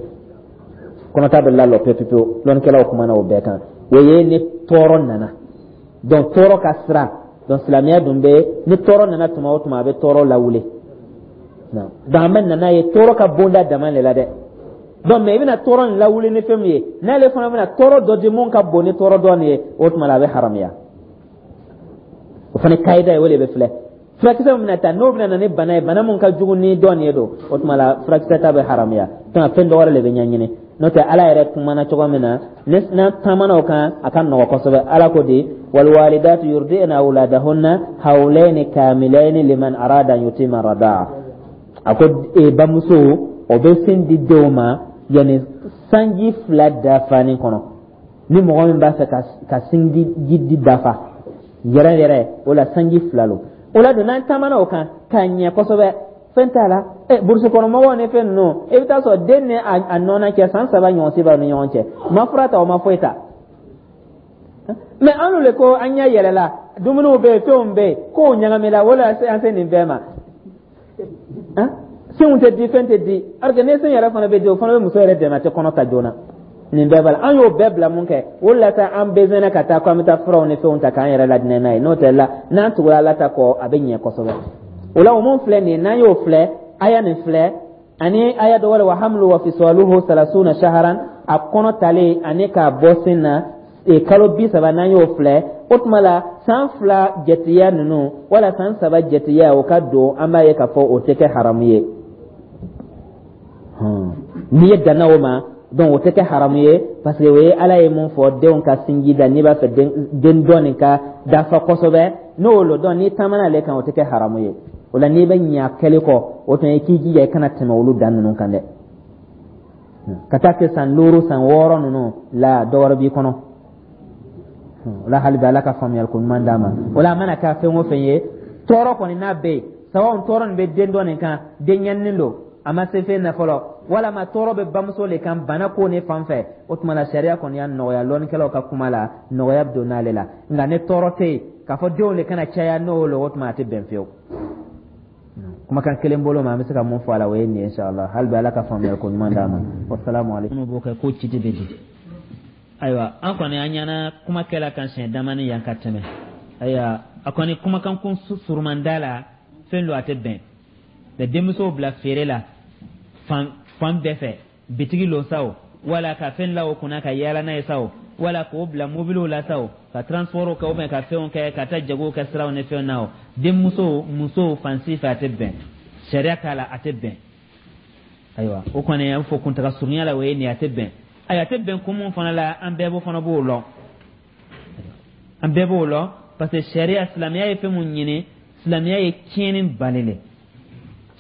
kɔnɔta bɛ lalɔ pewu pewu pewu. Lɔnnikɛlaw kumana o bɛɛ kan. O ye ni tɔɔrɔ nana. Donc tɔɔrɔ ka sira. Donc silamɛya dun bɛ, ni tɔɔrɔ nana tuma o tuma, a bɛ tɔɔrɔ lawuli. Donc an bɛ nana ye tɔɔrɔ ka bonda dama de la dɛ. Donc mais i bɛna tɔɔrɔ nin lawuli ni fɛn min ye, n'ale fana bɛna tɔɔrɔ dɔ di mun ka bon ni tɔɔrɔ dɔ nin ye, o tuma la a bɛ haramuya. O fana kayida ye, o de bɛ filɛ. Furakisɛ min bɛna ta, n'o bɛna na ni bana ye, bana mun ka jugu ni dɔ nin ye don, o tuma la furakisɛ ta bɛ haramuya. Donc fɛn dɔ wɛrɛ de bɛ ɲɛɲini. N'o tɛ, Ala yɛrɛ kumana cogo min na, n'an taamana o kan, a ka nɔgɔ kosɛbɛ. Ala ko di: walwalidatu yurdi'na awladahunna hawlayni kamilayni liman arada an yutima radaa. A ko bamuso o bɛ sin di denw ma yanni sanji 2 dafanin kɔnɔ. Ni mɔgɔ min b'a fɛ ka sinji di dafa yɛrɛ yɛrɛ, o la sanji 2 lo. O la don, n'an taamana o kan k'a ɲɛ kosɛbɛ, fɛn t'a la. Burusi kɔnɔ mɔgɔw ni fɛn ninnu, i bɛ taa sɔrɔ den ni a nɔnɔ cɛ, san 3 ɲɔgɔn si b'aw ni ɲɔgɔn cɛ, ma fura ta, o ma foyi ta. Mais an le ko an ɲɛ yɛlɛla, dumuniw bɛ yen, fɛnw bɛ yen, kow ɲagamina, o la an se nin bɛɛ ma. Sinw tɛ di, fɛn tɛ di, alors que ni sin yɛrɛ fana bɛ di, o fana bɛ muso yɛrɛ dɛmɛ, a tɛ kɔnɔ ta joona. Nin bɛɛ b'a la, an y'o bɛɛ bila mun kɛ? O de la sa an besoin ka taa ko an bɛ taa furaw ni fɛnw ta k'an yɛrɛ ladinɛ n'a ye. N'o tɛ la, n'an tugura Ala ta kɔ, a bɛ ɲɛ kosɛbɛ. O la o mun filɛ nin ye, n'an y'o filɛ, aya nin filɛ ani aya dɔ wɛrɛ: wa hamlu wa fisaluhu salasuna shaharan, a kɔnɔ talen ani k'a bɔ sin na kalo 30, n'an y'o filɛ, o tuma la san 2 jatiya ninnu wala san 3 jatiya, o ka don, an b'a ye k'a fɔ o tɛ kɛ haramu ye. N'i ye danna o ma, donc o tɛ kɛ haramu ye, parce que o ye Ala ye mun fɔ denw ka sinji da, n'i b'a fɛ den dɔ nin ka dafa kosɛbɛ, n'o lo. Donc n'i taamana ale kan, o tɛ kɛ haramu ye. O la n'i bɛ ɲa kɛli kɔ, o tuma i k'i jija i kana tɛmɛ olu dan ninnu kan dɛ, ka taa kɛ san 5, san 6 ninnu la, dɔ wɛrɛ b'i kɔnɔ. O la hali bi, Ala ka faamuyali ko ɲuman d'a ma. O la a mana kɛ fɛn o fɛn ye, tɔɔrɔ kɔni n'a bɛ yen, sababu tɔɔrɔ nin bɛ den dɔ nin kan, den ɲɛninin don, a ma se fɛn na fɔlɔ, walama tɔɔrɔ bɛ bamuso le kan, bana ko ne fan fɛ, o tuma la sariya kɔni y'a nɔgɔya. Lɔnnikɛlaw ka kuma la, nɔgɔya bɛ don n'ale la. Nka ni tɔɔrɔ tɛ yen k'a fɔ denw de kana caya, n'o lo, o tuma a tɛ bɛn fiyewu. Kumakan kelen bolo ma, an bɛ se ka mun fɔ a la, o ye nin ye. Inshallah, hali bi Ala ka faamuyali ko ɲuman d'a ma. Wasalamu aleykum. Minnu b'o kɛ ko ci bɛ di? Ayiwa, an kɔni an ɲɛna kuma kɛla kan siɲɛ damani yan ka tɛmɛ. Ayiwa, a kɔni kumakan kun surumanda la, fɛn don a tɛ bɛn ka denmusow bila feere la fan fan bɛɛ fɛ, bitigi lo sa o, wala ka fɛn la o kunna ka yaala n'a ye sa o, wala k'o bila mobiliw la sa o, ka transport kɛ, ou bien ka fɛnw kɛ ka taa jago kɛ siraw ni fɛnw na o, denmuso musow fan si fɛ, a tɛ bɛn, sariya t'a la, a tɛ bɛn. Ayiwa, o kɔni an fɔ kuntaga surunya la, o ye nin ye, a tɛ bɛn. Ayi, a tɛ bɛn kun mun fana la, an bɛɛ b'o fana b'o lɔn, an bɛɛ b'o lɔn, parce que sariya, silamɛya ye fɛn mun ɲini, silamɛya ye tiɲɛni bali le.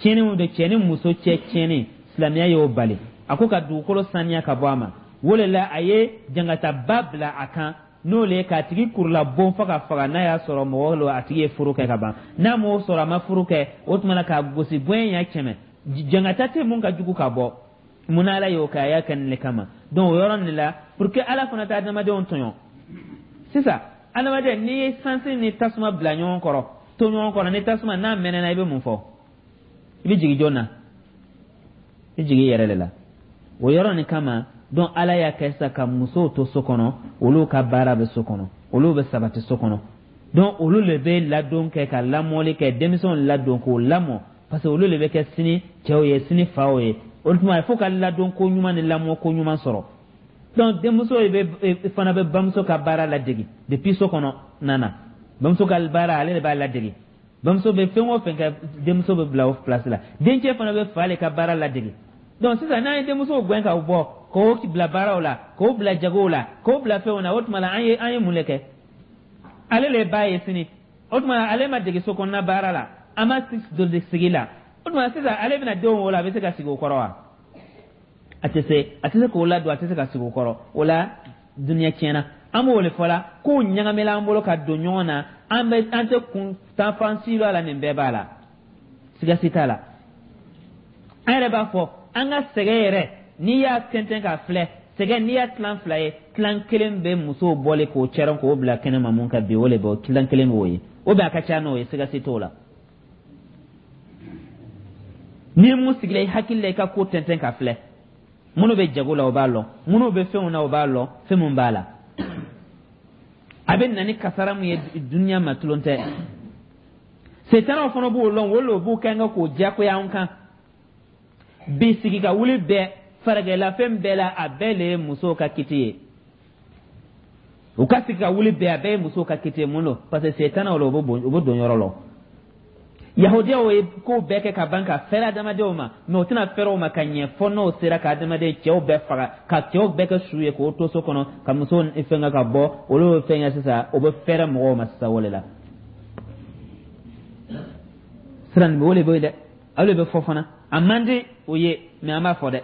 Tiɲɛni mun de? Cɛ ni muso cɛ tiɲɛni, silamɛya y'o bali. A ko ka dugukolo saniya ka bɔ a ma. O de la a ye jangataba bila a kan, n'o le ye k'a tigi kurula bon fo ka faga, n'a y'a sɔrɔ mɔgɔ lo, a tigi ye furu kɛ ka ban. N'a m'o sɔrɔ, a ma furu kɛ, o tuma na k'a gosi gɔɲɛ ɲɛ 100. Jangata tɛ mun ka jugu ka bɔ. Mun na Ala y'o kɛ? A y'a kɛ nin le kama. Donc o yɔrɔ nin la, pour que Ala fana tɛ adamadenw tɔɲɔ. Sisan adamaden, n'i ye sansi ni tasuma bila ɲɔgɔn kɔrɔ, to ɲɔgɔn kɔrɔ, ni tasuma n'a mɛnɛna, i bɛ mun fɔ? I bɛ jigin jɔn na? I bɛ jigin i yɛrɛ de la. O yɔrɔ nin kama, donc Ala y'a kɛ sisan ka musow to so kɔnɔ, olu ka baara bɛ so kɔnɔ, olu bɛ sabati so kɔnɔ. Donc olu le bɛ ladon kɛ, ka lamɔli kɛ, denmisɛnw ladon k'o lamɔ, parce que olu le bɛ kɛ sini cɛw ye, sini faw ye. O tuma fo ka ladon ko ɲuman ni lamɔ ko ɲuman sɔrɔ. Donc denmuso bɛ fana bɛ bamuso ka baara ladege depuis so kɔnɔ nana. Bamuso ka baara, ale de b'a ladege. Bamuso bɛ fɛn o fɛn kɛ, denmuso bɛ bila o place la. Dencɛ fana bɛ fa le ka baara ladege. Donc sisan n'an ye denmusow gɛn ka bɔ, k'o bila baaraw la, k'o bila jagow la, k'o bila fɛnw na, o tuma la an ye mun de kɛ? Ale le ba ye sini. O tuma la ale ma dege so kɔnɔna baara la, a ma dege sigi la. O tuma sisan ale bɛna denw wolo, a bɛ se ka sigi o kɔrɔ wa? A tɛ se, a tɛ se k'o ladon, a tɛ se ka sigi o kɔrɔ. O la duniya tiɲɛna. An b'o de fɔ la, kow ɲagamina an bolo ka don ɲɔgɔn na. An bɛ an tɛ kun tan fan si la, nin bɛɛ b'a la, siga si t'a la. An yɛrɛ b'a fɔ an ka sɛgɛn yɛrɛ, n'i y'a tɛntɛn k'a filɛ, sɛgɛn, n'i y'a tilan fila ye, tilan kelen bɛ musow bɔlen k'o cɛrɛ k'o bila kɛnɛma mun ka bi, o de bɛ tilan kelen b'o ye. O bɛ a ka ca n'o ye, siga si t'o la. Ni mun sigila i hakili la, i ka ko tɛntɛn ka filɛ, minnu bɛ jago la, o b'a lɔn, minnu bɛ fɛnw na, o b'a lɔn, fɛn mun b'a la, a bɛ na ni kasara mun ye duniya ma, tulon tɛ. Setanaw fana b'o lɔn, o le b'u kɛ k'o diyagoya an kan bi. Sigi ka wuli bɛɛ, faragɛlafɛn bɛɛ la, a bɛɛ le ye musow ka kiti ye. U ka sigi ka wuli bɛɛ, a bɛɛ ye musow ka kiti ye. Mun don? Parce que setanaw la, u bɛ don yɔrɔ la. Yahudiyaw ye ko bɛɛ kɛ ka ban ka fɛrɛ adamadenw ma, mɛ u tɛna fɛrɛ o ma ka ɲɛ fɔ n'o sera ka adamaden cɛw bɛɛ faga, ka cɛw bɛɛ kɛ su ye, k'o to so kɔnɔ, ka muso fɛnkɛ ka bɔ. Olu bɛ fɛnkɛ sisan, o bɛ fɛrɛ mɔgɔw ma sisan. O de la sira nin bɛ, o de bɛ yen dɛ, o de bɛ fɔ fana. A man di o ye, mɛ an b'a fɔ dɛ.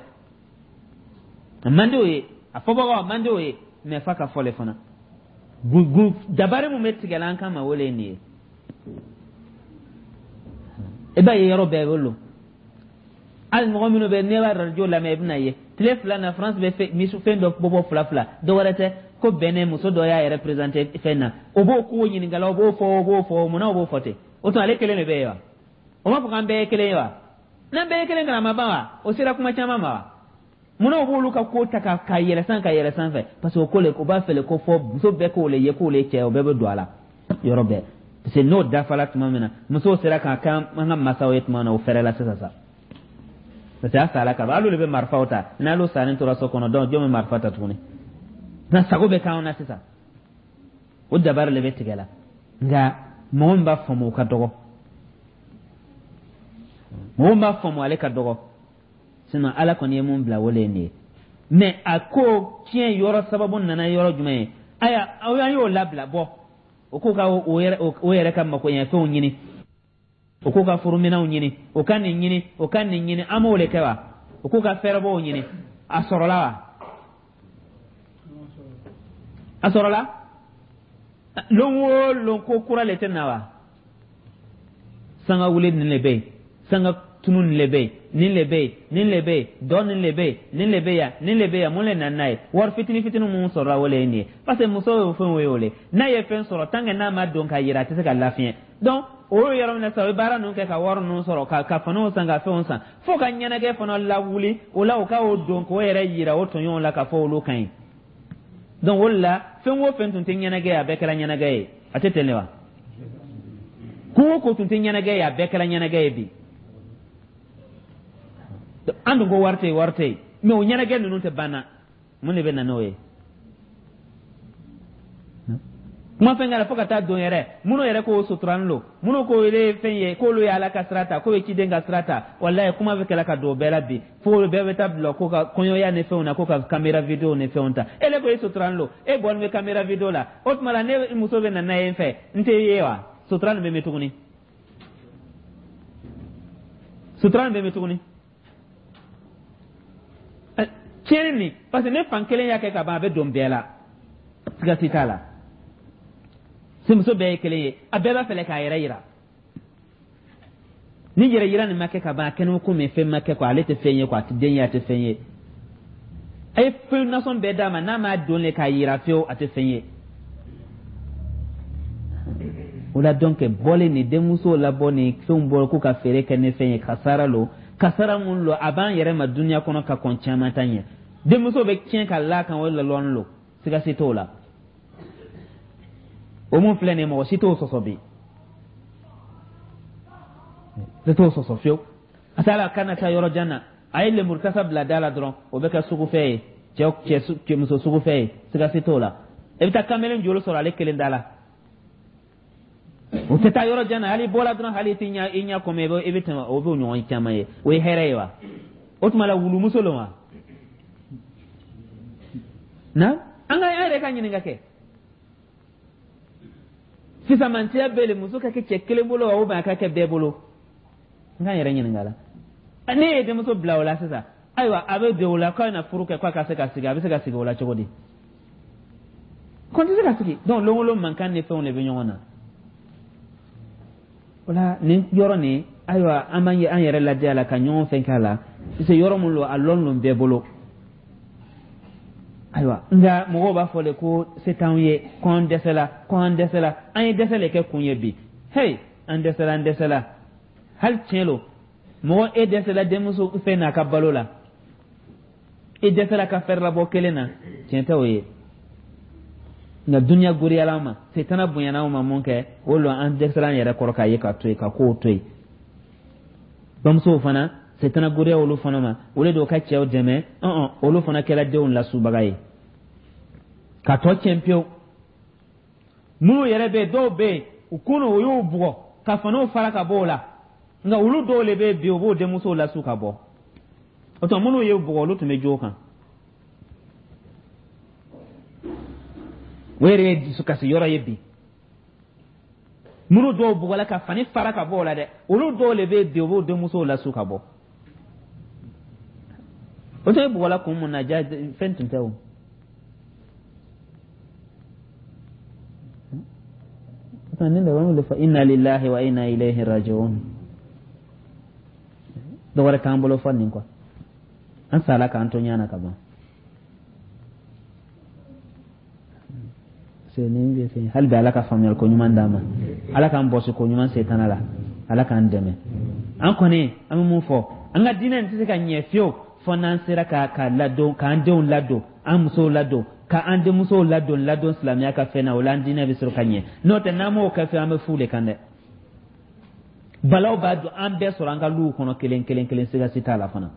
A man di o ye, a fɔbagaw, a man di o ye, mɛ f'a ka fɔ le fana. Dabari mun bɛ tigɛla an kama, o de ye nin ye. I b'a ye yɔrɔ bɛɛ bɛ lo. Hali mɔgɔ minnu bɛ, n'i b'a radio lamɛn, i bɛna ye tile 2 na, France bɛ fɛn dɔ bɔ fila fila, dɔ wɛrɛ tɛ ko bɛnɛ muso dɔ y'a yɛrɛ présenter fɛn na. O b'o ko ɲininkala, o b'o fɔ, o b'o fɔ. Munna o b'o fɔ ten? O tuma ale kelen de bɛ yen wa? O m'a fɔ k'an bɛɛ ye kelen ye wa? N'an bɛɛ ye kelen, kana ma ban wa? O sera kuma caman ma wa? Munna o b'olu ka ko ta ka yɛlɛ sanfɛ? Parce que o ko le, o b'a fɛ le ko fɔ muso bɛɛ k'o le ye, k'o le cɛ, o bɛɛ bɛ don a la yɔrɔ bɛɛ. Parce que n'o dafala tuma min na, musow sera k'a kɛ an ka masaw ye tuma min na, o fɛrɛ la sisan sa, parce que a sala ka ban. Hali olu bɛ marifaw ta, n'ale salen tora so kɔnɔ, donc jɔn bɛ marifa ta tuguni? Na sago bɛ k'anw na sisan. O dabari le bɛ tigɛ la, nka mɔgɔ min b'a faamu, o ka dɔgɔ. Mɔgɔ min b'a faamu, ale ka dɔgɔ. Sinon Ala kɔni ye mun bila, o le ye nin ye. Mais a ko tiɲɛ yɔrɔ sababu nana yɔrɔ jumɛn ye? Aya, aw an y'o labila bɔ, o k'o ka o yɛrɛ ka makoɲɛfɛnw ɲini, o k'o ka furuminɛnw ɲini, o ka nin ɲini, o ka nin ɲini. An m'o de kɛ wa? O k'o ka fɛɛrɛbɔw ɲini, a sɔrɔla wa? A sɔrɔla. Lon o lon, ko kura le tɛ na wa? Sanga wuli nin le bɛ yen, sanga tunu nin le bɛ yen, nin le bɛ yen, nin le bɛ yen, dɔ nin le bɛ yen, nin le bɛ yan, nin le bɛ yan. Mun le nana n'a ye? Wari fitini fitini mun sɔrɔla, o le ye nin ye. Parce que muso ye fɛn o ye, o le n'a ye fɛn sɔrɔ, tant que n'a ma don ka yira, a tɛ se ka lafiɲɛ. Donc o ye yɔrɔ min na sisan, o ye baara ninnu kɛ ka wari ninnu sɔrɔ, ka finiw san, ka fɛnw san, fo ka ɲɛnajɛ fana lawuli o la, o ka o don k'o yɛrɛ yira o tɔɲɔgɔnw la k'a fɔ olu ka ɲi. Donc o de la, fɛn o fɛn tun tɛ ɲɛnajɛ ye, a bɛɛ kɛra ɲɛnajɛ ye. A tɛ ten de wa? Ko o ko tun tɛ ɲɛnajɛ ye, a bɛɛ kɛra ɲɛnajɛ ye bi. An dun ko wari tɛ yen, wari tɛ yen, mɛ o ɲɛnajɛ ninnu tɛ ban na. Mun de bɛ na n'o ye? Kuma fɛn kɛra fo ka taa don yɛrɛ, minnu yɛrɛ k'o suturani lo, minnu k'o ye fɛn ye, k'olu ye Ala ka sira ta, k'o ye ciden ka sira ta, walayi kuma bɛ kɛla ka don o bɛɛ la bi, fo bɛɛ bɛ taa bila ko ka kɔɲɔya ni fɛnw na, ko ka caméra vidéo ni fɛnw ta. E le ko e suturani lo, e bɔlen bɛ caméra vidéo la, o tuma la ne muso bɛ na n'a ye n fɛ, n tɛ ye wa? Sutura nin bɛ min tuguni? Sutura nin bɛ min tuguni? Tiɲɛni nin, parce que ne fan kelen y'a kɛ ka ban, a bɛ don bɛɛ la, siga si t'a la. Muso bɛɛ ye kelen ye, a bɛɛ b'a fɛlɛ k'a yɛrɛ yira. Ni yɛrɛ yira nin ma kɛ ka ban, a kɛnɛ ko min fɛn ma kɛ quoi, ale tɛ fɛn ye quoi, a tɛ den ye, a tɛ fɛn ye. A ye fɛn nasɔn bɛɛ d'a ma, n'a m'a don le k'a yira fiyewu, a tɛ fɛn ye. O la donc bɔlen ni denmusow labɔ ni fɛnw bɔ k'u ka feere kɛ ni fɛn ye, kasara lo, kasara mun lo, a b'an yɛrɛ ma dunuya kɔnɔ ka kɔn caman ta ɲɛ. Denmuso bɛ tiɲɛ ka l'a kan, o la lɔnni lo, siga si t'o la. O mun filɛ nin ye, mɔgɔ si t'o sɔsɔ bi, ne t'o sɔsɔ fiyewu. A t'a la kana taa yɔrɔ jan na, a ye lemuru kasa bila da la dɔrɔn, o bɛ kɛ sugufɛ ye, cɛ cɛ muso sugufɛ ye, siga si t'o la. I bɛ taa kamalen joli sɔrɔ ale kelen da la, o tɛ taa yɔrɔ jan na, hali bɔla dɔrɔn, hali i tɛ ɲɛ i ɲɛ kɔmi i bɛ tɛmɛ, o b'o ɲɔgɔn caman ye. O ye hɛrɛ ye wa? O tuma la wulumuso lo wa? Na an ka an yɛrɛ ka ɲininka kɛ, fisamantiya bɛ le muso ka kɛ cɛ kelen bolo wa, ou bien a ka kɛ bɛɛ bolo? N k'an yɛrɛ ɲininka la. Ne ye denmuso bila o la sisan, ayiwa, a bɛ don o la k'a na furu kɛ, k'a ka se ka sigi, a bɛ se ka sigi o la cogo di? Ko n tɛ se ka sigi. Donc lon o lon mankan ni fɛnw de bɛ ɲɔgɔn na o la. Nin yɔrɔ nin, ayiwa, an b'an an yɛrɛ lajɛ a la ka ɲɔgɔn fɛn k'a la, parce que yɔrɔ mun lo, a lɔn lon bɛɛ bolo. Ayiwa, nka mɔgɔw b'a fɔ de ko se t'anw ye, ko an dɛsɛla, ko an dɛsɛla. An ye dɛsɛ de kɛ kun ye bi. Hey, an dɛsɛla, an dɛsɛla. Hali tiɲɛ lo, mɔgɔ e dɛsɛla denmuso fɛn n'a ka balo la, e dɛsɛla ka fɛrɛ labɔ kelen na, tiɲɛ tɛ o ye. Nka duniya goriyala ma, setana bonyana ma, mun kɛ o lo, an dɛsɛla an yɛrɛ kɔrɔ k'a ye ka to yen, ka kow to yen. Bamusow fana, setana goriya olu fana ma, o de don ka cɛw dɛmɛ, ɔn olu fana kɛra denw lasubaga ye ka tɔ tiɲɛ pewu. Minnu yɛrɛ bɛ yen, dɔw bɛ yen, u kunu o y'u bugɔ ka faniw fara ka bɔ o la, nka olu dɔw de bɛ yen bi, u b'o denmusow lasu ka bɔ. O tuma minnu y'u bugɔ, olu tun bɛ jo kan, o yɛrɛ ye dusukasi yɔrɔ ye bi. Minnu dɔw bugɔla ka fani fara ka bɔ o la dɛ, olu dɔw de bɛ bi, u b'o denmusow lasu ka bɔ. O tun ye bugɔla kun mun na, ja fɛn tun tɛ o. Nin de b'an fɔ inna lillahi wa inna ilayhi raji'un. Dɔ wɛrɛ t'an bolo fɔ nin kɔ, an sala k'an to ɲɛ na ka ban. Nin bɛ fɛn hali bi, Ala ka faamuyali ko ɲuman d'an ma, Ala k'an bɔsi ko ɲuman setana la, Ala k'an dɛmɛ. An kɔni an bɛ mun fɔ, an ka diinɛ nin tɛ se ka ɲɛ fiyewu fo n'an sera ka ladon, k'an denw ladon, an musow ladon, ka an denmusow ladon silamɛya ka fɛn na. O la an diinɛ bɛ sɔrɔ ka ɲɛ. N'o tɛ, n'an m'o kɛ fiyewu, an bɛ fu de kan dɛ. Balaw b'a don an bɛɛ sɔrɔ an ka luw kɔnɔ kelen kelen kelen, siga si t'a la fana.